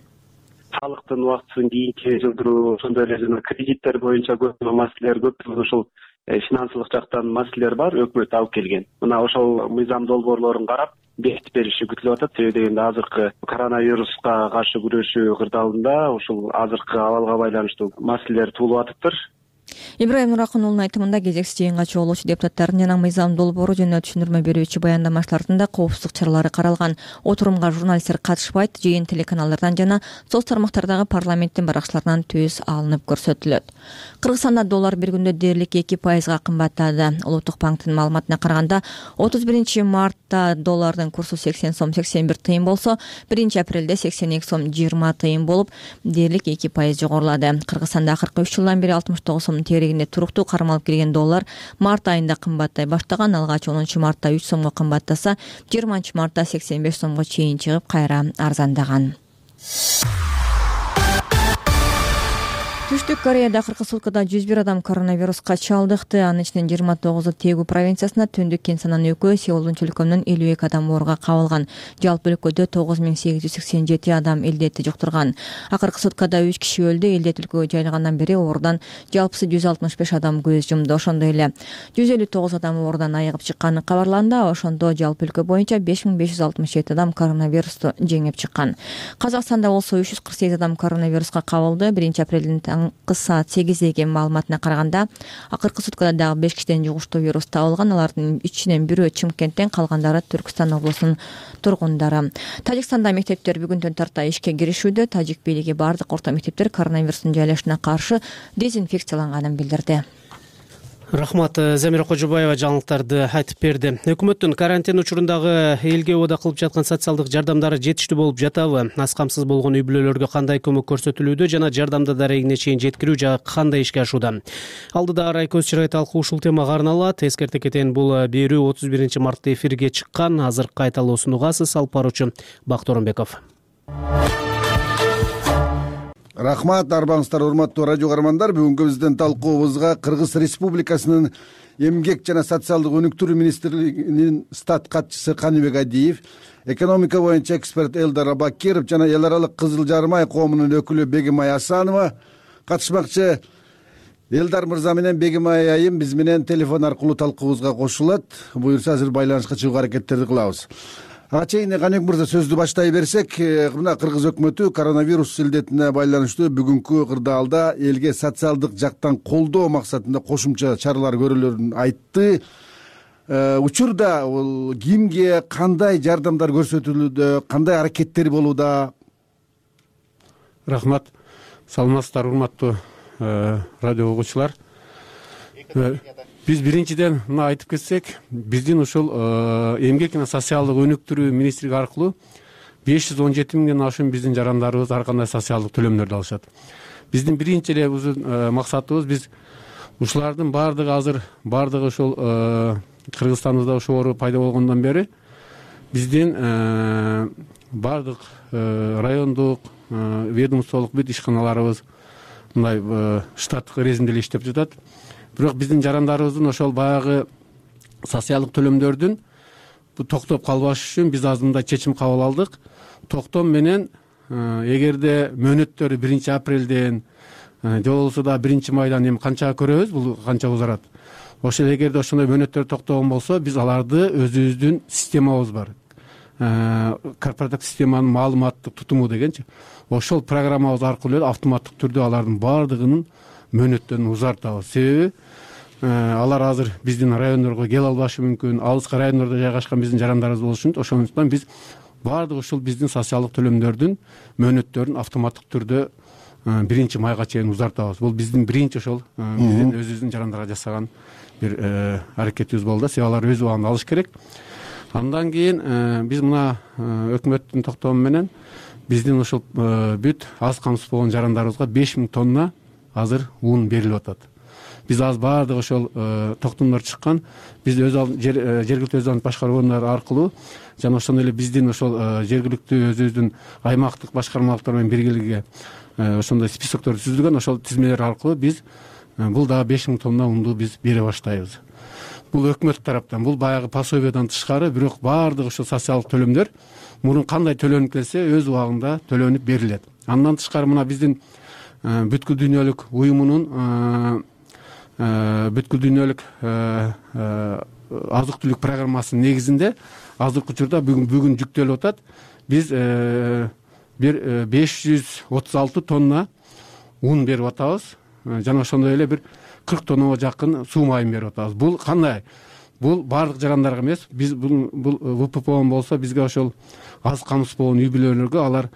Салыктын убактысын кийинке жылдыруу, ошондой эле жана кредиттер боюнча көп маселелер көп. Ошол финансылык жактан маселелер бар, өкмөт алып келген. Мына ошол мыйзам долбоорлорун карап бекитип бериши күтүлүп атат. Себеби дегенде азыркы коронавируска каршы күрөшүү кырдаалында ушул азыркы абалга байланыштуу маселелер туулуп атыптыр. Ибраим Нуракун уулунун айтымында кезексиз жыйынга чогулуучу депутаттардын жана мыйзам долбоору жөнүндө түшүндүрмө берүүчү баяндамачылардын да коопсуздук чаралары каралган. Отурумга журналисттер катышпайт. Жыйын телеканалдардан жана соц тармактардагы парламенттин баракчыларынан төз алынып көрсөтүлөт. Кыргызстанда доллар бир күндө дээрлик 2% кымбаттады. Улуттук банктын маалыматына караганда 31 мартта доллардын курсу 80 сом 81 тыйын болсо, 1 апрелде 82 сом 20 тыйын болуп, дээрлик 2% жогорулады. Кыргызстанда акыркы 3 жылдан бери 69 сом тегерегинде туруктуу кармалып келген доллар март айында кымбаттай баштаган. Алгач 10 мартта 3 сомго кымбаттаса, 20 мартта 85 сомго чейин чыгып, кайра арзандаган. Түштүк Кореяда акыркы суткада 101 адам коронавируска чалдыкты. Анын ичинен 29-у Тэгу провинциясына, Түндүк Кенсанын өкү, Сеулдун чөлкөмүнөн 52 адам ооруга кабылган. Жалпы өлкөдө 9887 адам илдетти жуктурган. Акыркы суткада 3 киши өлдү. Илдет өлкөгө жайылгандан бери оорудан жалпысы 165 адам көз жумду. Ошондой эле 159 адам оорудан айыгып чыкканы кабарланды. Ошондо жалпы өлкө боюнча 5567 адам коронавирусту жеңип чыккан. Казакстанда болсо 348 адам коронавируска кабылды. 1 апрелдин саат 8-деги маалыматына караганда, акыркы суткада дагы 5 кишиден жугуштуу вирус табылган. Алардын ичинен бирөө Чымкенттен, калгандары Түркстан облусунун тургундары. Тажикстанда мектептер бүгүндөн тарта ишке киришүүдө. Тажик бийлиги бардык орто мектептер коронавирустун жайлашына каршы дезинфекцияланганын билдирди. Рахмат. Замира Кожобаева жаңылыктарды айтып берди. Өкмөттүн карантин учурундагы элге убада кылып жаткан социалдык жардамдары жетиштүү болуп жатабы? Аз камсыз болгон үй бүлөлөргө кандай көмөк көрсөтүлүүдө жана жардамды дарегине чейин жеткирүү жагы кандай ишке ашууда? Алдыда Райкөз Чырай талкуу ушул темага арналат. Эскерте кетейин, бул берүү 31 мартта эфирге чыккан. Азыр кайталоосун угасыз. Алып баруучу Бакыт Оронбеков. Рахмат, арбаңыздар, урматтуу радио каармандар. Бүгүнкү биздин талкуубузга Кыргыз Республикасынын эмгек жана социалдык өнүктүрүү министрлигинин стат катчысы Каныбек Адиев, экономика боюнча эксперт Элдар Абакиров жана эл аралык Кызыл Жарым ай коомунун өкүлү Бегимай Асанова катышмакчы. Элдар мырза менен Бегимай айым биз менен телефон аркылуу талкуубузга кошулат. Буюрса азыр байланышка чыгуу аракеттерди кылабыз. Ага чейин Каныбек мырза сөздү баштай берсек, мына Кыргыз өкмөтү коронавирус илдетине байланыштуу бүгүнкү кырдаалда элге социалдык жактан колдоо максатында кошумча чаралар көрүлөрүн айтты. Учурда бул кимге кандай жардамдар көрсөтүлүүдө, кандай аракеттер болууда? Рахмат. Саламатсыздар, урматтуу радио угуучулар. Биз биринчиден мына айтып кетсек, биздин ушул эмгек жана социалдык өнүктүрүү министрлиги аркылуу 517 миңден ашуун биздин жарандарыбыз ар кандай социалдык төлөмдөрдү алышат. Биздин биринчи эле максатыбыз, биз ушулардын баардыгы азыр ушул Кыргызстаныбызда ушул оору пайда болгондон бери биздин баардык райондук ведомстволук бүт ишканаларыбыз мындай штаттык режимде эле иштеп жатат. Бирок биздин жарандарыбыздын ошол баягы социалдык төлөмдөрдүн токтоп калбаш үчүн биз азыр мындай чечим кабыл алдык. Токтом менен эгерде мөөнөттөрү 1 апрелден же болбосо да 1 майдан эми канча көрөбүз, бул канча узарат. Ошол эгерде ошондой мөөнөттөр токтогон болсо, биз аларды өзүбүздүн системабыз бар. Корпоративдик системанын маалыматтык тутуму дегенчи. Ошол программабыз аркылуу автоматтык түрдө алардын баардыгынын мөөнөттөрүн узартабыз. Себеби алар азыр биздин райондорго келе албашы мүмкүн, алыскы райондордо жайгашкан биздин жарандарыбыз болушун, ошондуктан биз баардык ушул биздин социалдык төлөмдөрдүн мөөнөттөрүн автоматтык түрдө 1 майга чейин узартабыз. Бул биздин биринчи ошол биздин өзүбүздүн жарандарга жасаган бир аракетибиз болду. Себеби алар өз убагында алыш керек. Андан кийин биз мына өкмөттүн токтому менен биздин ушул бүт аз камсыз болгон жарандарыбызга 5000 тонна азыр ун берилип атат. Биз азыр баардык ошол токтомдор чыккан. Биз жергиликтүү өз башкаруу органдары аркылуу жана ошондой эле биздин ошол жергиликтүү өзүбүздүн аймактык башкармалыктар менен биргеликке ошондой списоктор түзүлгөн. Ошол тизмелер аркылуу биз бул дагы 5000 тонна унду биз бере баштайбыз. Бул өкмөт тараптан, бул баягы пособиядан тышкары, бирок баардык ошол социалдык төлөмдөр мурун кандай төлөнүп келсе, өз убагында төлөнүп берилет. Андан тышкары мына биздин бүткүл дүйнөлүк уюмунун бүткүл дүйнөлүк азык түлүк программасынын негизинде азыркы учурда бүгүн жүктөлүп атат. Биз бир 536 тонна ун берип атабыз жана ошондой эле бир 40 тоннага жакын суу майын берип атабыз. Бул кандай? Бул баардык жарандарга эмес. Биз бул ВППО болсо бизге ошол аз камсыз болгон үй бүлөлөргө алар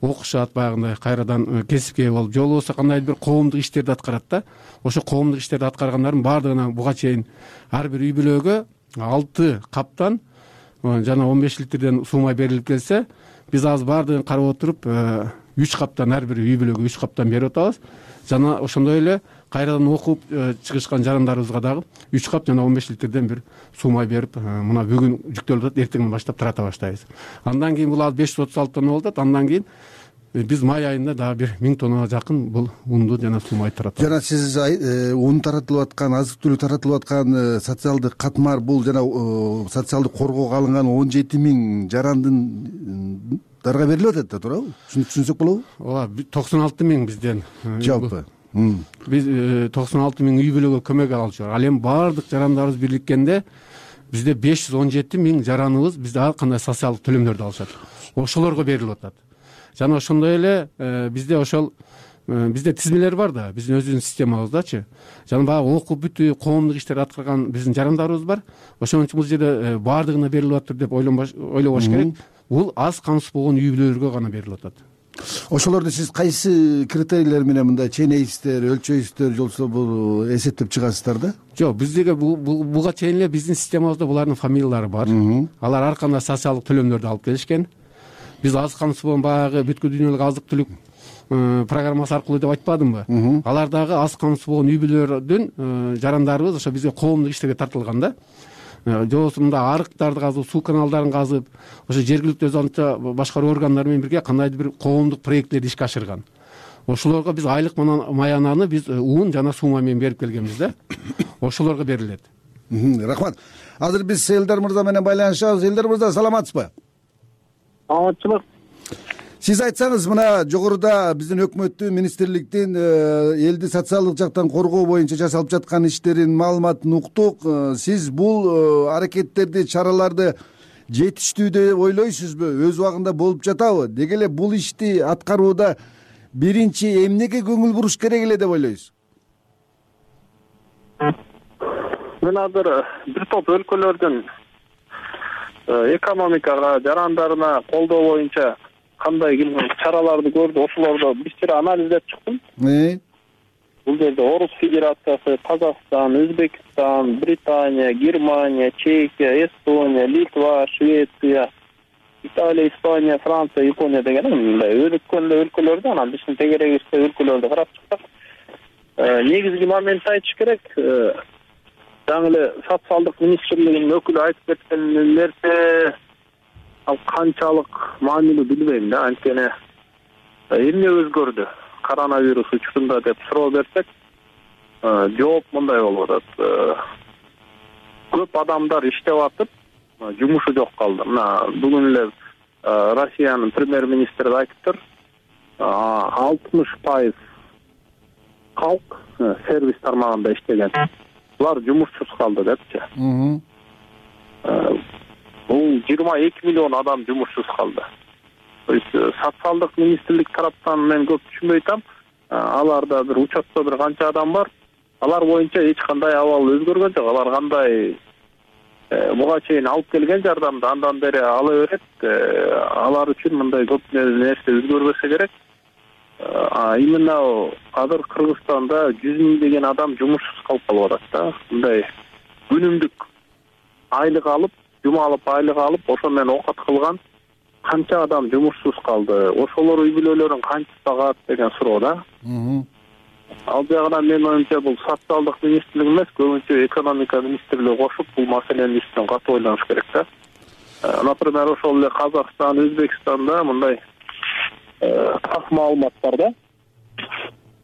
окушат, баягындай кайрадан кесипке болуп, же болбосо кандайдыр бир коомдук иштерди аткарат да. Ошо коомдук иштерди аткаргандардын баардыгына буга чейин ар бир үй бүлөгө 6 каптан жана 15 литрден суу май берилип келсе, биз азыр баардыгын карап отуруп 3 каптан, ар бир үй бүлөгө 3 каптан берип атабыз. Жана ошондой эле кайрадан окуп чыгышкан жарандарыбызга дагы 3 кап жана 15 литрден бир суу май берип, мына бүгүн жүктөлүп атат, эртеңден баштап тарата баштайбыз. Андан кийин бул 536 тонна болуп атат. Андан кийин биз май айында дагы бир 1000 тоннага жакын бул унду жана суу майды таратабыз. Жана сиз ун таратылып аткан, азык түлүк таратылып аткан социалдык катмар, бул жана социалдык коргоого алынган 17 000 жарандын дарга берилип атат да, туурабы? Түшүнсөк болобу? Ооба, 96 000 бизден жалпы. Биз 96 000 үй бүлөгө көмөк алчу. Ал эми баардык жарандарыбыз бирликкенде бизде 517 000 жараныбыз бизде ар кандай социалдык төлөмдөрдү алышат. Ошолорго берилип атат. Жана ошондой эле бизде ошол бизде тизмелер бар да, биздин өзүбүздүн системабыздачы. Жана баягы окуп бүтүп коомдук иштерди аткарган биздин жарандарыбыз бар. Ошон үчүн бул жерде баардыгына берилип атат деп ойлобош керек. Бул аз камсыз болгон үй бүлөлөргө гана берилип атат. Ошолорду сиз кайсы критерийлер менен мындай чейнейсиздер, өлчөйсүздөр, жолсо бул эсептеп чыгасыздар да? Жок, биздеги буга чейин эле биздин системабызда булардын фамилиялары бар. Алар ар кандай социалдык төлөмдөрдү алып келишкен. Биз азык камсызбон баягы бүткүл дүйнөлүк азык түлүк программасы аркылуу деп айтпадымбы? Алар дагы азык камсыз болгон үй бүлөлөрдүн жарандарыбыз ошо бизге коомдук иштерге тартылган да. Жобосу мында арыктарды казып, суу каналдарын казып, ошо жергиликтүү өз башкаруу органдары менен бирге кандайдыр бир коомдук проектлерди ишке ашырган. Ошолорго биз айлык маянаны биз уун жана суума менен берип келгенбиз да. Ошолорго берилет. Рахмат. Азыр биз Элдар мырза менен байланышабыз. Элдар мырза, саламатсызбы? Саламатчылык. Сиз айтсаңыз, мына жогоруда биздин өкмөттүн, министрликтин элди социалдык жактан коргоо боюнча жасалып жаткан иштерин маалыматын уктук. Сиз бул аракеттерди, чараларды жетиштүү деп ойлойсузбу? Өз убагында болуп жатабы? Деги эле бул ишти аткарууда биринчи эмнеге көңүл буруш керек эле деп ойлойсуз? Мен азыр бир топ өлкөлөрдүн экономикага, жарандарына колдоо боюнча кандай чараларды көрдү, ошолорду бир анализдеп чыктым. Бул жерде Орус Федерациясы, Казакстан, Өзбекстан, Британия, Германия, Чехия, Эстония, Литва, Швеция, Италия, Испания, Франция, Япония деген мындай өлкөлөрдү, анан биздин тегерегибизде өлкөлөрдү карап чыктык. Негизги момент айтыш керек. Жаңы эле социалдык министрлигинин өкүлү айтып кеткен нерсе ал канчалык маанилүү билбейм да. Анткени эмне өзгөрдү коронавирус учурунда деп суроо берсек, жооп мындай болуп атат. Көп адамдар иштеп атып, жумушу жок калды. Мына бүгүн эле Россиянын премьер-министри айтыптыр, 60% калк сервис тармагында иштеген. Булар жумушсуз калды депчи. Бул 22 миллион адам жумушсуз калды. Социалдык министрлик тараптан мен көп түшүнбөй атам. Аларда бир учетто бир канча адам бар. Алар боюнча эч кандай абал өзгөргөн жок. Алар кандай буга чейин алып келген жардамды андан бери ала берет. Алар үчүн мындай көп нерсе өзгөрбөсө керек. Именно азыр Кыргызстанда 100 миңдеген адам жумушсуз калып калып атат да. Мындай күнүмдүк айлык алып, жума алып, айлык алып, ошо менен окат кылган канча адам жумушсуз калды? Ошолор үй бүлөлөрүн канча багат деген суроо да. Ал жагынан мен оюмча бул социалдык министрлик эмес, көбүнчө экономика министрлиги кошуп бул маселени үстүнөн катуу ойлоnuш керек да. Например, ошол эле Казакстан, Өзбекстанда мындай так маалымат бар да.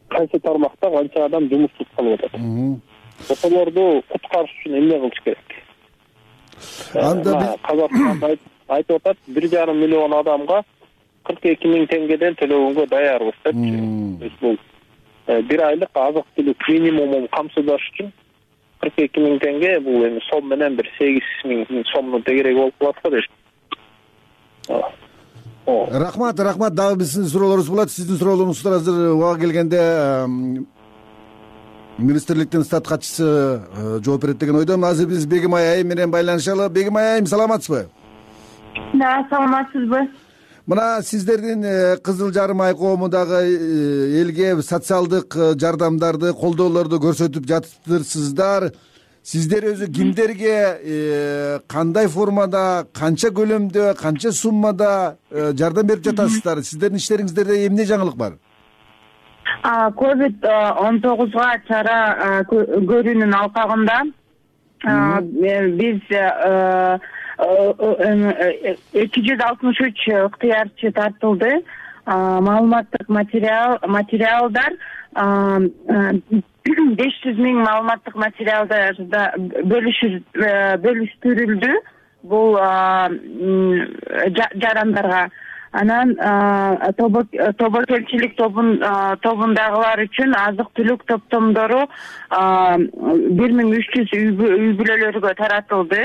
Кайсы тармакта канча адам жумушсуз калып атат. Ошолорду куткарыш үчүн эмне кылыш керек? Казакстанда айтып атат, 1,5 миллион адамга 42 миң теңгеден төлөгөнгө даярбыз депчи. Бул бир айлык азык түлүк минимумун камсыздаш үчүн 42 миң теңге, бул эми сом менен бир 8 миң сомдун тегереги болуп калат да дейт. Рахмат. Дагы биздин суроолорубуз болот. Сиздин суроолоруңуздар азыр убагы келгенде министрликтин стат катчысы жооп берет деген ойдомун. Азыр биз Бегимай айым менен байланышалы. Бегимай айым, саламатсызбы? Да, саламатсызбы. Мына сиздердин Кызыл Жарым ай коому дагы элге социалдык жардамдарды, колдоолорду көрсөтүп жатыптырсыздар. Сиздер өзү кимдерге кандай формада, канча көлөмдө, канча суммада жардам берип жатасыздар? Сиздердин иштериңиздерде эмне жаңылык бар? COVID-19 чара көрүүнүн алкагында биз 263 ыктыярчы тартылды. Маалыматтык материалдар 500 миң маалыматтык материалдарда бөлүштүрүлдү бул жарандарга. Анан тобокелчилик тобундагылар үчүн азык түлүк топтомдору 1300 үй бүлөлөргө таратылды.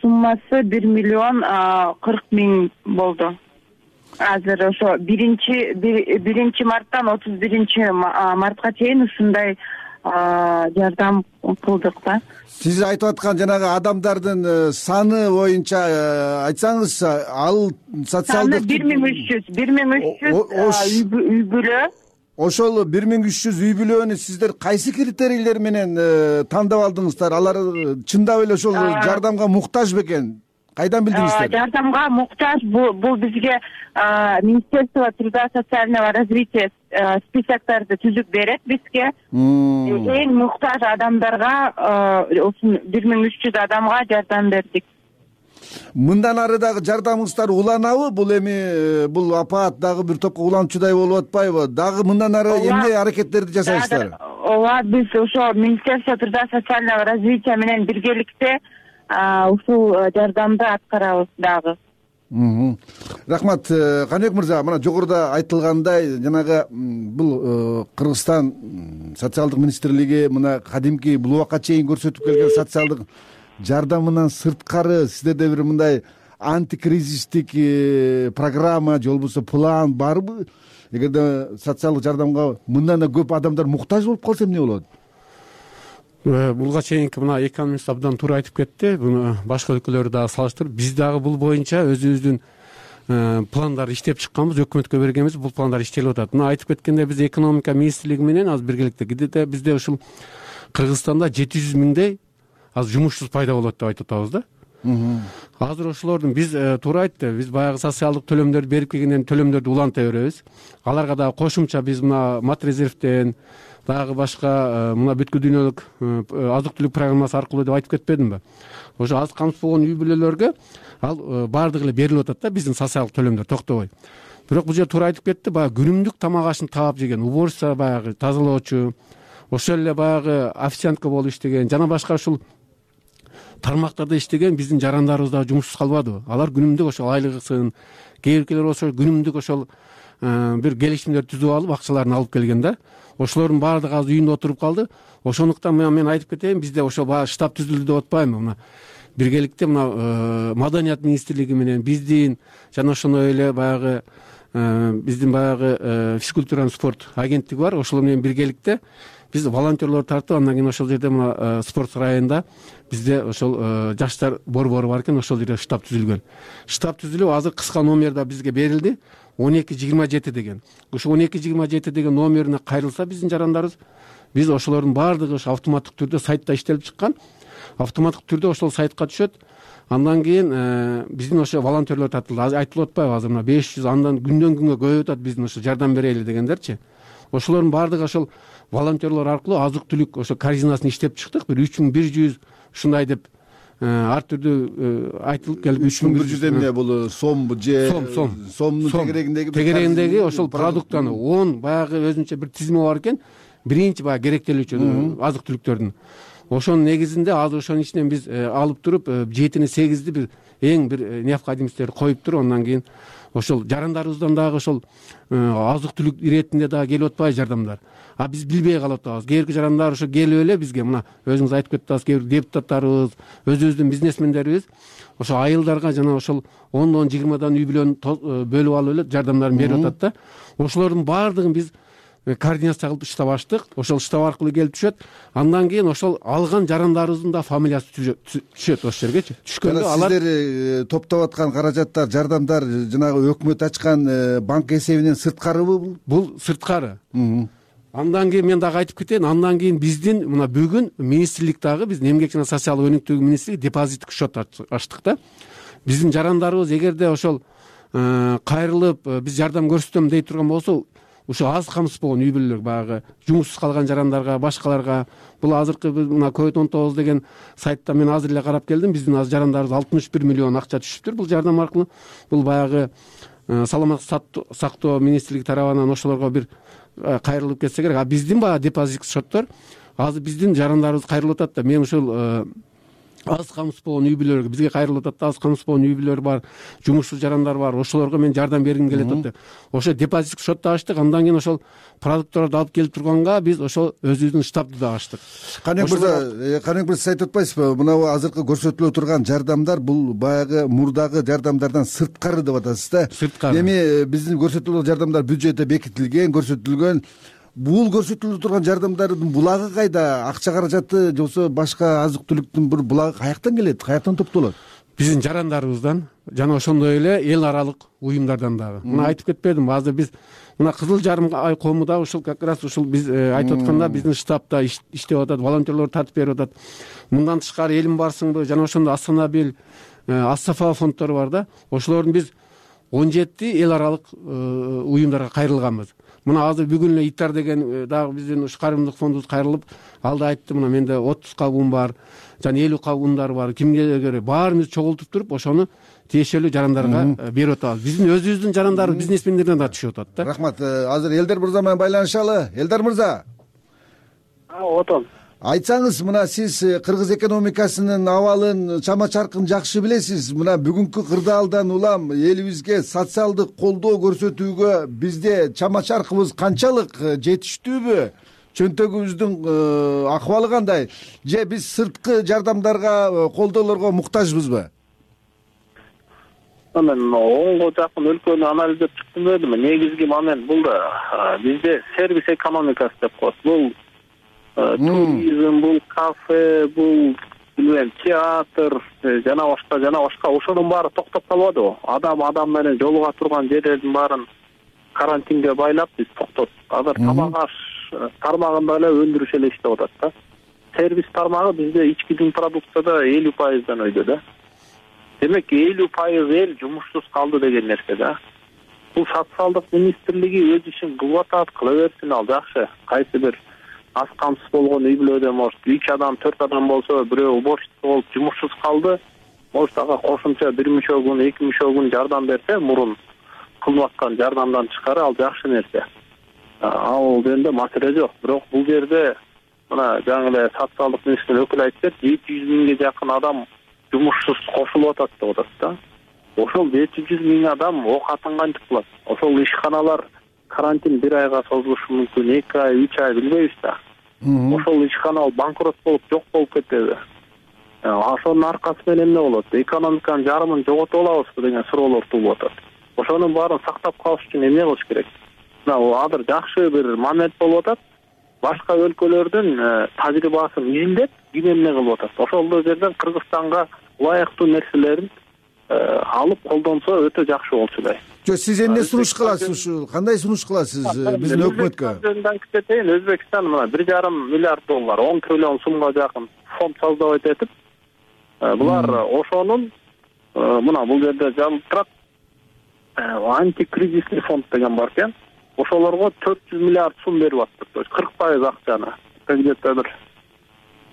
Суммасы 1 миллион 40 миң болду. Азыр ошо 1 марттан 31 мартка чейин ушундай жардам кылдык да. Сиз айтып аткан жанагы адамдардын саны боюнча айтсаңызчы, ал социалдык саны 1300 үй бүлө. Ошол 1300 үй бүлөнү сиздер кайсы критерийлер менен тандап алдыңыздар? Алар чындап эле ошол жардамга муктаж бекен? Кайдан билдиңиздер? Жардамга муктаж бул бизге Министерство труда и социального развития списоктарды түзүп берет бизге. Эң муктаж адамдарга 1300 адамга жардам бердик. Мындан ары дагы жардамыңыздар уланабы? Бул эми бул апаат дагы бир топко уланчудай болуп атпайбы? Дагы мындан ары эмне аракеттерди жасайсыздар? Ооба, биз ошо Министерство труда и социального развития менен биргеликте ушул жардамды аткарабыз дагы. Рахмат, Каныбек мырза, мына жогоруда айтылгандай, жанагы бул Кыргызстан социалдык министрлиги мына кадимки бул убакка чейин көрсөтүп келген социалдык жардамынан сырткары сиздерде бир мындай антикризистик программа же болбосо план барбы? Эгерде социалдык жардамга мындан да көп адамдар муктаж болуп калса эмне болот? Буга чейинки мына экономист абдан туура айтып кетти. Буну башка өлкөлөр дагы салыштырып, биз дагы бул боюнча өзүбүздүн пландарды иштеп чыкканбыз, өкмөткө бергенбиз. Бул пландар иштелип атат. Мына айтып кеткендей, биз экономика министрлиги менен азыр биргеликте бизде ушул Кыргызстанда 700 миңдей азыр жумушсуз пайда болот деп айтып атабыз да. Азыр ошолордун биз туура айтты, биз баягы социалдык төлөмдөрдү берип келгенден төлөмдөрдү уланта беребиз. Аларга дагы кошумча биз мына мат резервден дагы башка мына бүткүл дүйнөлүк азык-түлүк программасы аркылуу деп айтып кетпедимби? Ошо аз камсыз болгон үй бүлөлөргө ал баардыгы эле берилип атат да, биздин социалдык төлөмдөр токтобой. Бирок бул жерде туура айтып кетти, баягы күнүмдүк тамак ашын таап жеген, уборщица баягы тазалоочу, ошол эле баягы официантка болуп иштеген жана башка ушул тармактарда иштеген биздин жарандарыбыз дагы жумушсуз калбадыбы? Алар күнүмдүк ошол айлыгысын, кээ биркилер болсо күнүмдүк ошол бир келишимдер түзүп алып акчаларын алып келген да. Ошолордун баардыгы азыр үйүндө отуруп калды. Ошондуктан мен айтып кетейин, бизде ошо баягы штаб түзүлдү деп атпаймынбы? Мына биргеликте мына маданият министрлиги менен биздин жана ошондой эле баягы биздин баягы физкультура спорт агенттиги бар. Ошолор менен биргеликте биз волонтерлор тартып, андан кийин ошол жерде мына спорт сарайында бизде ошол жаштар борбору бар экен, ошол жерде штаб түзүлгөн. Штаб түзүлүп, азыр кыска номерда бизге берилди. 1227 деген. Ошо 1227 деген номерине кайрылса биздин жарандарыбыз, биз ошолордун баардыгы ошо автоматтык түрдө сайтта иштелип чыккан. Автоматтык түрдө ошол сайтка түшөт. Андан кийин биздин ошо волонтерлор тартылды. Азыр айтылып атпайбы, азыр мына 500 андан күндөн күнгө көбөйүп атат биздин ошо жардам берели дегендерчи. Ошолордун баардыгы ошол волонтерлор аркылуу азык-түлүк ошо корзинасын иштеп чыктык. Бир 3100 ушундай деп ар түрдүү айтылып келип 3100 эмне бул сомбу же сомдун тегерегиндеги ошол продуктаны 10 баягы өзүнчө бир тизими бар экен. Биринчи баягы керектелүүчү азык-түлүктөрдүн. Ошонун негизинде азыр ошонун ичинен биз алып туруп 7-8 бир эң бир необходимостьтерди коюп туруп, андан кийин ошол жарандарыбыздан дагы ошол азык-түлүк иретинде дагы келип атпайбы жардамдар. А биз билбей калып атабыз. Кээ бирки жарандар ошо келип эле бизге мына өзүңүз айтып кеттиңиз, кээ бир депутаттарыбыз, өзүбүздүн бизнесмендерибиз ошо айылдарга жана ошол 10-20 үй бүлөнү бөлүп алып эле жардамдарын берип атат да. Ошолордун баардыгын биз координация кылып штаб ачтык. Ошол штаб аркылуу келип түшөт. Андан кийин ошол алган жарандарыбыздын да фамилиясы түшөт ошол жергечи. Түшкөндө алар сиздер топтоп аткан каражаттар, жардамдар жанагы өкмөт ачкан банк эсебинен сырткарыбы? Бул сырткары. Андан кийин мен дагы айтып кетейин, андан кийин биздин мына бүгүн министрлик дагы биздин эмгек жана социалдык өнүктүү министрлиги депозиттик счет ачтык да. Биздин жарандарыбыз эгерде ошол кайрылып биз жардам көрсөтөм дей турган болсо, ошо аз камсыз болгон үй бүлөлөр баягы жумушсуз калган жарандарга, башкаларга, бул азыркы мына COVID-19 деген сайтта мен азыр эле карап келдим, биздин азыр жарандарыбыз 61 миллион акча түшүптүр бул жардам аркылуу. Бул баягы саламаттык сактоо министрлиги тарабынан ошолорго бир кайрылып кетсе керек. А биздин баягы депозиттик счеттор азыр биздин жарандарыбыз кайрылып атат да. Мен ушул аз камсыз болгон үй бүлөлөргө бизге кайрылып атат да, аз камсыз болгон үй бүлөлөр бар, жумушсуз жарандар бар, ошолорго мен жардам бергим келет атат. Ошо депозиттик счетту ачтык, андан кийин ошол продукттарды алып келип турганга биз ошол өзүбүздүн штабты да ачтык. Каныбек мырза, сиз айтып атпайсызбы, мына азыркы көрсөтүлө турган жардамдар бул баягы мурдагы жардамдардан сырткары деп атасыз да. Сырткары. Эми биздин көрсөтүлө жардамдар бюджетте бекитилген, көрсөтүлгөн. бул көрсөтүлүп турган жардамдардын булагы кайда? Акча каражаты же болбосо башка азык түлүктүн бир булагы каяктан келет, каяктан топтолот? Биздин жарандарыбыздан жана ошондой эле эл аралык уюмдардан дагы. Мына айтып кетпедимби, азыр биз мына Кызыл Жарым ай коому да ушул как раз ушул биз айтып атканда биздин штабта иштеп атат, волонтерлор тартып берип атат. Мындан тышкары Элим барсыңбы жана ошондой Астанабил, Ас-Сафа фонддору бар да. Ошолордун биз 17 эл аралык уюмдарга кайрылганбыз. Мына азыр бүгүн эле ИТАР деген дагы биздин ушу карымдык фондубуз кайрылып, алда айтты, мына менде 30 кабын бар, жана 50 кабындар бар. Кимге керек баарыбызды чогултуп туруп, ошону тиешелүү жарандарга берип атабыз. Биздин өзүбүздүн жарандарыбыз бизнесмендерден да түшүп атат да. Рахмат. Азыр Элдар мырза менен байланышалы. Элдар мырза. Отон. Айтсаңыз, мына сиз кыргыз экономикасынын абалын, чама чаркын жакшы билесиз. Мына бүгүнкү кырдаалдан улам элибизге социалдык колдоо көрсөтүүгө бизде чама чаркыбыз канчалык, жетиштүүбү? Чөнтөгүбүздүн акыбалы кандай? Же биз сырткы жардамдарга, колдоолорго муктажбызбы? Мен онго жакын өлкөнү анализдеп чыктым дедим. Негизги момент бул да бизде сервис экономикасы деп коет. Бул туризм, бул кафе, бул билбейм театр жана башка ошонун баары токтоп калбадыбы? Адам менен жолуга турган жерлердин баарын карантинге байлап биз токтоттук. Азыр тамак аш тармагында эле өндүрүш эле иштеп атат да. Сервис тармагы бизде ички жүн продукцияда 50%дан өйдө да. Демек 50% эл жумушсуз калды деген нерсе да. Бул социалдык министрлиги өз ишин кылып атат, кыла берсин, ал жакшы. Кайсы бир аз камсыз болгон үй бүлөдө может 3 адам, 4 адам болсо, бирөө уборщица болуп жумушсуз калды, может ага кошумча 1 мүчө күн, 2 мүчө күн жардам берсе, мурун кылып аткан жардамдан тышкары ал жакшы нерсе. Ал жөнүндө маселе жок. Бирок бул жерде мына жаңы эле социалдык министрлик өкүлү айтты, 700 миңге жакын адам жумушсуз кошулуп атат деп атат да. Ошол 700 миң адам окатын кантип кылат? Ошол ишканалар карантин 1 айга созулушу мүмкүн, 2 ай, 3 ай билбейбиз да. Ошол ишкана банкрот болуп жок болуп кетеби? Ошонун аркасы менен эмне болот? Экономиканын жарымын жоготуп алабызбы деген суроолор туулуп атат. Ошонун баарын сактап калыш үчүн эмне кылыш керек? Мына азыр жакшы бир момент болуп атат. Башка өлкөлөрдүн тажрыйбасын изилдеп, ким эмне кылып атат. Ошол жерден Кыргызстанга ылайыктуу нерселерин алып колдонсо өтө жакшы болчу эле. Сиз эмне сунуш кыласыз ушу? Кандай сунуш кыласыз биздин өкмөткө? Өзбекстан мына 1,5 миллиард доллар, 10 триллион сумга жакын фонд создавать этип, булар ошонун мына бул жерде жазылып турат, антикризисный фонд деген бар экен. Ошолорго 400 миллиард сум берип атты. То есть 40% акчаны. Где-то бир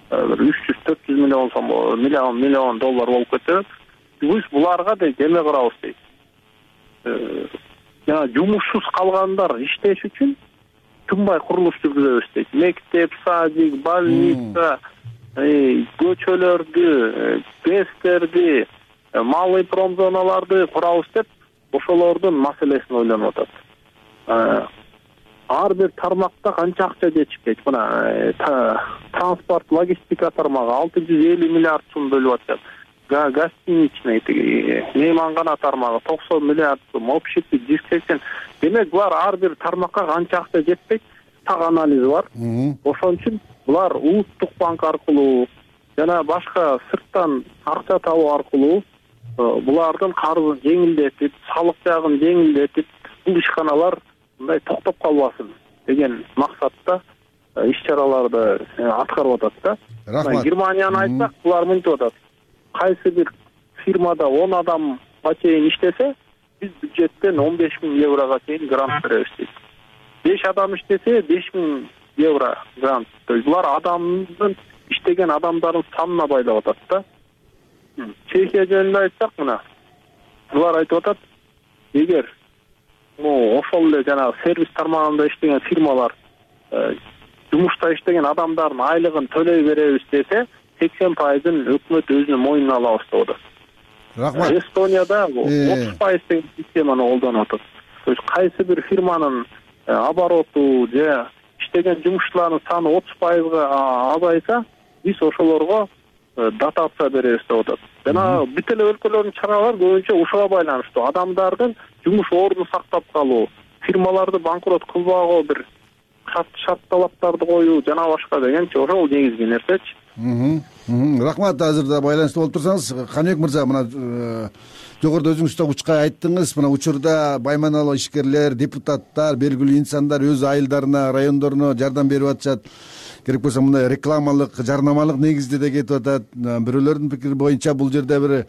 300-400 миллион сом, миллион доллар болуп кетет. Биз буларга да эме кырабыз дейт. Жана жумушсуз калгандар иштеш үчүн тынбай курулуш жүргүзөбүз дейт. Мектеп, садик, больница, көчөлөрдү, ГЭСтерди, малый промзоналарды курабыз деп ошолордун маселесин ойлонуп атат. Ар бир тармакта канча акча жетишпейт. Мына транспорт, логистика тармагы 650 миллиард сум бөлүп атат. Гостиничный, меймангана тармагы 90 миллиард сум, общепит 180. Демек, булар ар бир тармакка канча акча жетпейт, так анализи бар. Ошон үчүн булар улуттук банк аркылуу жана башка сырттан акча табуу аркылуу булардын карызын жеңилдетип, салык жагын жеңилдетип, бул ишканалар мындай токтоп калбасын деген максатта иш-чараларды аткарып атат да. Германияны айтсак, булар мынтип атат. Кайсы бир фирмада 10 адамга чейин иштесе, биз бюджеттен 15 000 еврого чейин грант беребиз дейт. 5 адам иштесе 5 000 евро грант. То есть булар адамдын иштеген адамдардын санына байлап атат да. Чехия жөнүндө айтсак, мына булар айтып атат, эгер ошол эле жанагы сервис тармагында иштеген фирмалар жумушта иштеген адамдардын айлыгын төлөй беребиз десе, 80%-ын өкмөт өзүнүн мойнуна алабыз деп атат. Рахмат. Эстонияда 30% деген системаны колдонуп атат. То есть кайсы бир фирманын обороту же иштеген жумушчулардын саны 30%га азайса, биз ошолорго дотация беребиз деп атат. Жана бүт эле өлкөлөрдүн чаралары көбүнчө ушуга байланыштуу. Адамдардын жумуш ордун сактап калуу, фирмаларды банкрот кылбагуу бир шарт талаптарды коюу жана башка дегенчи ошол негизги нерсечи. Рахмат. Азыр да байланышта болуп турсаңыз, Каныбек мырза, мына жогоруда өзүңүз да учка айттыңыз, мына учурда байманалуу ишкерлер, депутаттар, белгилүү инсандар өз айылдарына, райондоруна жардам берип атышат. Керек болсо мындай рекламалык, жарнамалык негизде да кетип атат. Бирөөлөрдүн пикири боюнча бул жерде бир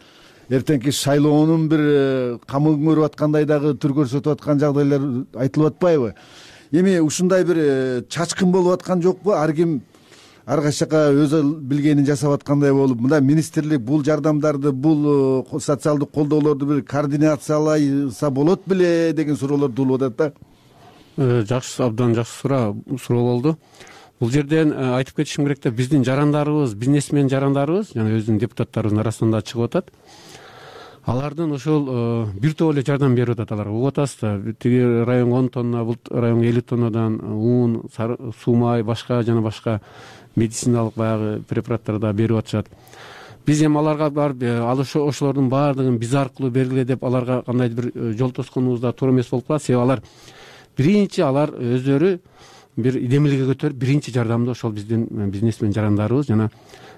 эртеңки шайлоонун бир камын көрүп аткандай дагы түр көрсөтүп аткан жагдайлар айтылып атпайбы? Эми ушундай бир чачкын болуп аткан жокпу? Ар ким ар кайсыка өз билгенин жасап аткандай болуп, мындай министрлик бул жардамдарды, бул социалдык колдоолорду бир координациялайса болот беле деген суроолор туулуп атат да. Жакшы, абдан жакшы суроо болду. Бул жерден айтып кетишим керек да, биздин жарандарыбыз, бизнесмен жарандарыбыз, жана өзүнүн депутаттарыбыздын арасында чыгып атат. Алардын ошол бир топ эле жардам берип атат аларга. Угуп атасыз да, тиги район 10 тонна, бул район 50 тоннадан ун, суу май, башка жана башка медициналык баягы препараттарды берип атышат. Биз эми аларга барып, ал ошолордун баардыгын биз аркылуу бергиле деп аларга кандайдыр бир жол тосконубуз да туура эмес болуп калат. Себеби алар биринчи өздөрү бир идемиликке көтөрүп, биринчи жардамды ошол биздин бизнесмен жарандарыбыз жана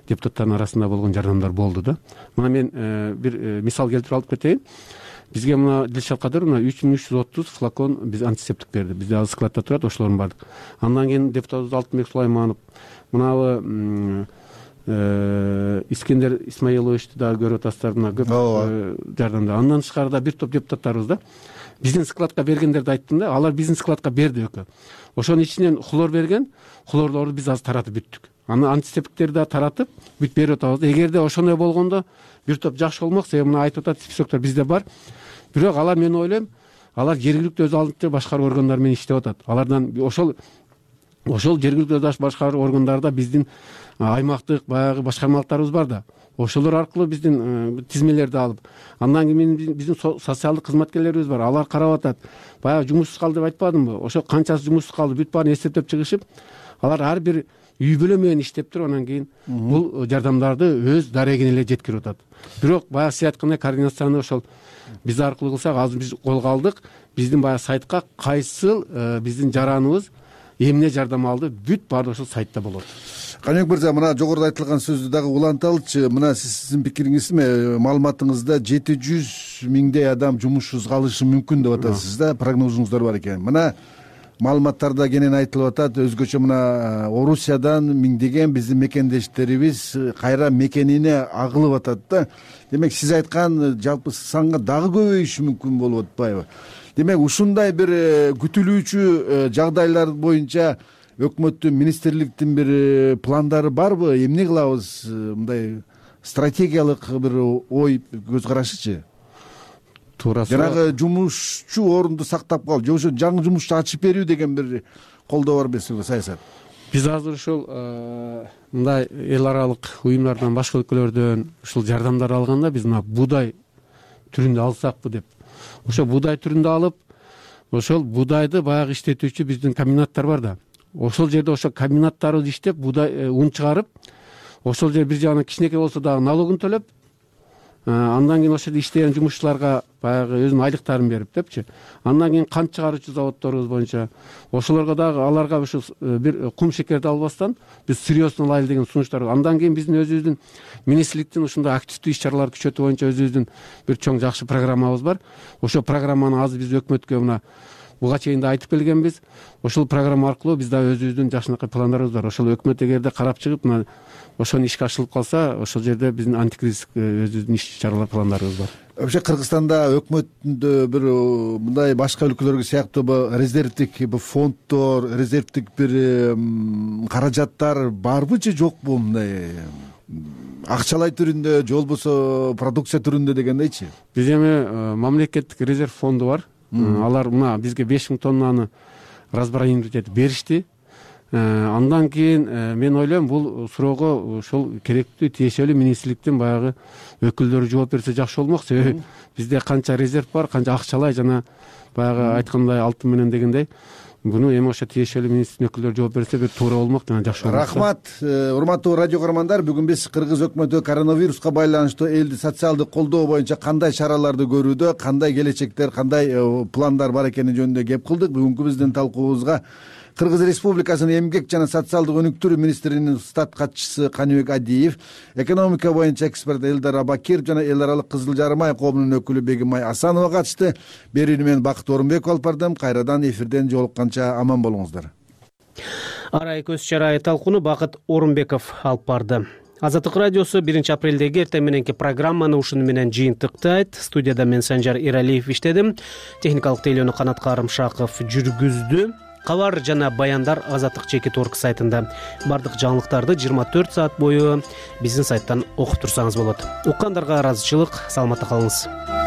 депутаттардын арасында болгон жардамдар болду да. Мына мен бир мисал келтирип алып кетейин. Бизге мына Дилшат Кадыр 3330 флакон биз антисептик берди. Бизде азыр складда турат ошолордун баардыгы. Андан кийин депутатыбыз Алтынбек Сулайманов, мынабы Искендер Исмаиловичти дагы көрүп атасыздар, мына көп жардамдар. Андан тышкары бир топ депутаттарыбыз да биздин складка бергендерди айттым да, алар биздин складка берди экөө. Ошонун ичинен хлор берген, хлорлорду биз азыр таратып бүттүк. Аны антисептиктерди да таратып бүт берип атабыз. Эгерде ошондой болгондо бир топ жакшы болмок, себеби мына айтып атат, списоктор бизде бар. Бирок алар, мен ойлойм, алар жергиликтүү өз алдынча башкаруу органдары менен иштеп атат. Алардан ошол жергиликтүү өз башкаруу органдарында биздин аймактык баягы башкармалыктарыбыз бар да. Ошолор аркылуу биздин тизмелерди алып, андан кийин биздин социалдык кызматкерлерибиз бар. Алар карап атат. Баягы жумушсуз калды деп айтпадымбы? Ошо канчасы жумушсуз калды, бүт баарын эсептеп чыгышып, алар ар бир үй бүлө менен иштеп туруп, анан кийин бул жардамдарды өз дарегине эле жеткирип атат. Бирок баягы сиз айткандай координацияны ошол биз аркылуу кылсак, азыр биз колго алдык. Биздин баягы сайтка кайсыл биздин жараныбыз эмне жардам алды, бүт баары ошол сайтта болот. Каныбек мырза, мына жогоруда айтылган сөздү дагы уланталычы. Мына сиздин пикириңизби, маалыматыңызда 700 миңдей адам жумушсуз калышы мүмкүн деп атасыз да, прогнозуңуздар бар экен. Мына маалыматтарда кенен айтылып атат, өзгөчө мына Орусиядан миңдеген биздин мекендештерибиз кайра мекенине агылып атат да. Демек сиз айткан жалпы санга дагы көбөйүшү мүмкүн болуп атпайбы? Демек ушундай бир күтүлүүчү жагдайлар боюнча өкмөттүн, министрликтин бир пландары барбы? Эмне кылабыз? Мындай стратегиялык бир ой, көз карашычы? Туура. Жанагы жумушчу орунду сактап калуу, же ошо жаңы жумушчу ачып берүү деген бир колдоо бар эмеспи саясат? Биз азыр ушул мындай эл аралык уюмдардан, башка өлкөлөрдөн ушул жардамдар алганда, биз мына буудай түрүндө алсакпы деп. Ошо буудай түрүндө алып, ошол буудайды баягы иштетүүчү биздин комбинаттар бар да. Ошол жерде ошо комбинаттарыбыз иштеп, буудай ун чыгарып, ошол жер бир жагынан кичинекей болсо дагы налогун төлөп, андан кийин ошол иштеген жумушчуларга баягы өзүнүн айлыктарын берип депчи. Андан кийин кант чыгаруучу заводдорубуз боюнча ошолорго дагы, аларга ушу бир кум шекерди албастан биз сырьёсун алайлы деген сунуштар. Андан кийин биздин өзүбүздүн министрликтин ушундай активдүү иш чараларды күчөтүү боюнча өзүбүздүн бир чоң жакшы программабыз бар. Ошол программаны азыр биз өкмөткө мына буга чейин да айтып келгенбиз. Ошол программа аркылуу биз дагы өзүбүздүн жакшынакай пландарыбыз бар. Ошол өкмөт эгерде карап чыгып, мына ошону ишке ашырылып калса, ошол жерде биздин антикризистик өзүбүздүн иш чаралар пландарыбыз бар. Вообще Кыргызстанда өкмөттүндө бир мындай башка өлкөлөргө сыяктуу резервдик фонддор, резервдик бир каражаттар барбы же жокпу, мындай акчалай түрүндө же болбосо продукция түрүндө дегендейчи? Биз эми мамлекеттик резерв фонду бар. Алар мына бизге 5000 тоннаны разбросать этип беришти. Андан кийин мен ойлойм, бул суроого ошол керектүү тиешелүү министрликтин баягы өкүлдөрү жооп берсе жакшы болмок. Себеби бизде канча резерв бар, канча акчалай жана баягы айткандай алтын менен дегендей, буну эми ошо тиешелүү министрликтин өкүлдөрү жооп берсе бир туура болмок жана жакшы болмок. Рахмат. Урматтуу радио көрөрмандар, бүгүн биз кыргыз өкмөтү коронавируска байланыштуу элди социалдык колдоо боюнча кандай чараларды көрүүдө, кандай келечектер, кандай пландар бар экени жөнүндө кеп кылдык. Бүгүнкү биздин талкуубузга Кыргыз Республикасынын эмгек жана социалдык өнүктүрүү министринин штат катчысы Каныбек Адиев, экономика боюнча эксперт Элдар Абакиров жана эл аралык Кызыл Жарым ай коомунун өкүлү Бегимай Асанова катышты. Берүүнү мен Бакыт Орунбеков алып бардым. Кайрадан эфирден жолукканча аман болуңуздар. Арай көз чарай талкууну Бакыт Орунбеков алып барды. Азаттык радиосу 1 апрелдеги эртең мененки программаны ушуну менен жыйынтыктайт. Студияда мен Санжар Иралиев иштедим. Техникалык тейлөөнү Канат Карымшаков жүргүздү. Кабар жана баяндар Азаттык /org сайтында. Бардык жаңылыктарды 24 саат бою биздин сайттан окуп турсаңыз болот. Уккандарга ыраазычылык, саламатта калыңыз.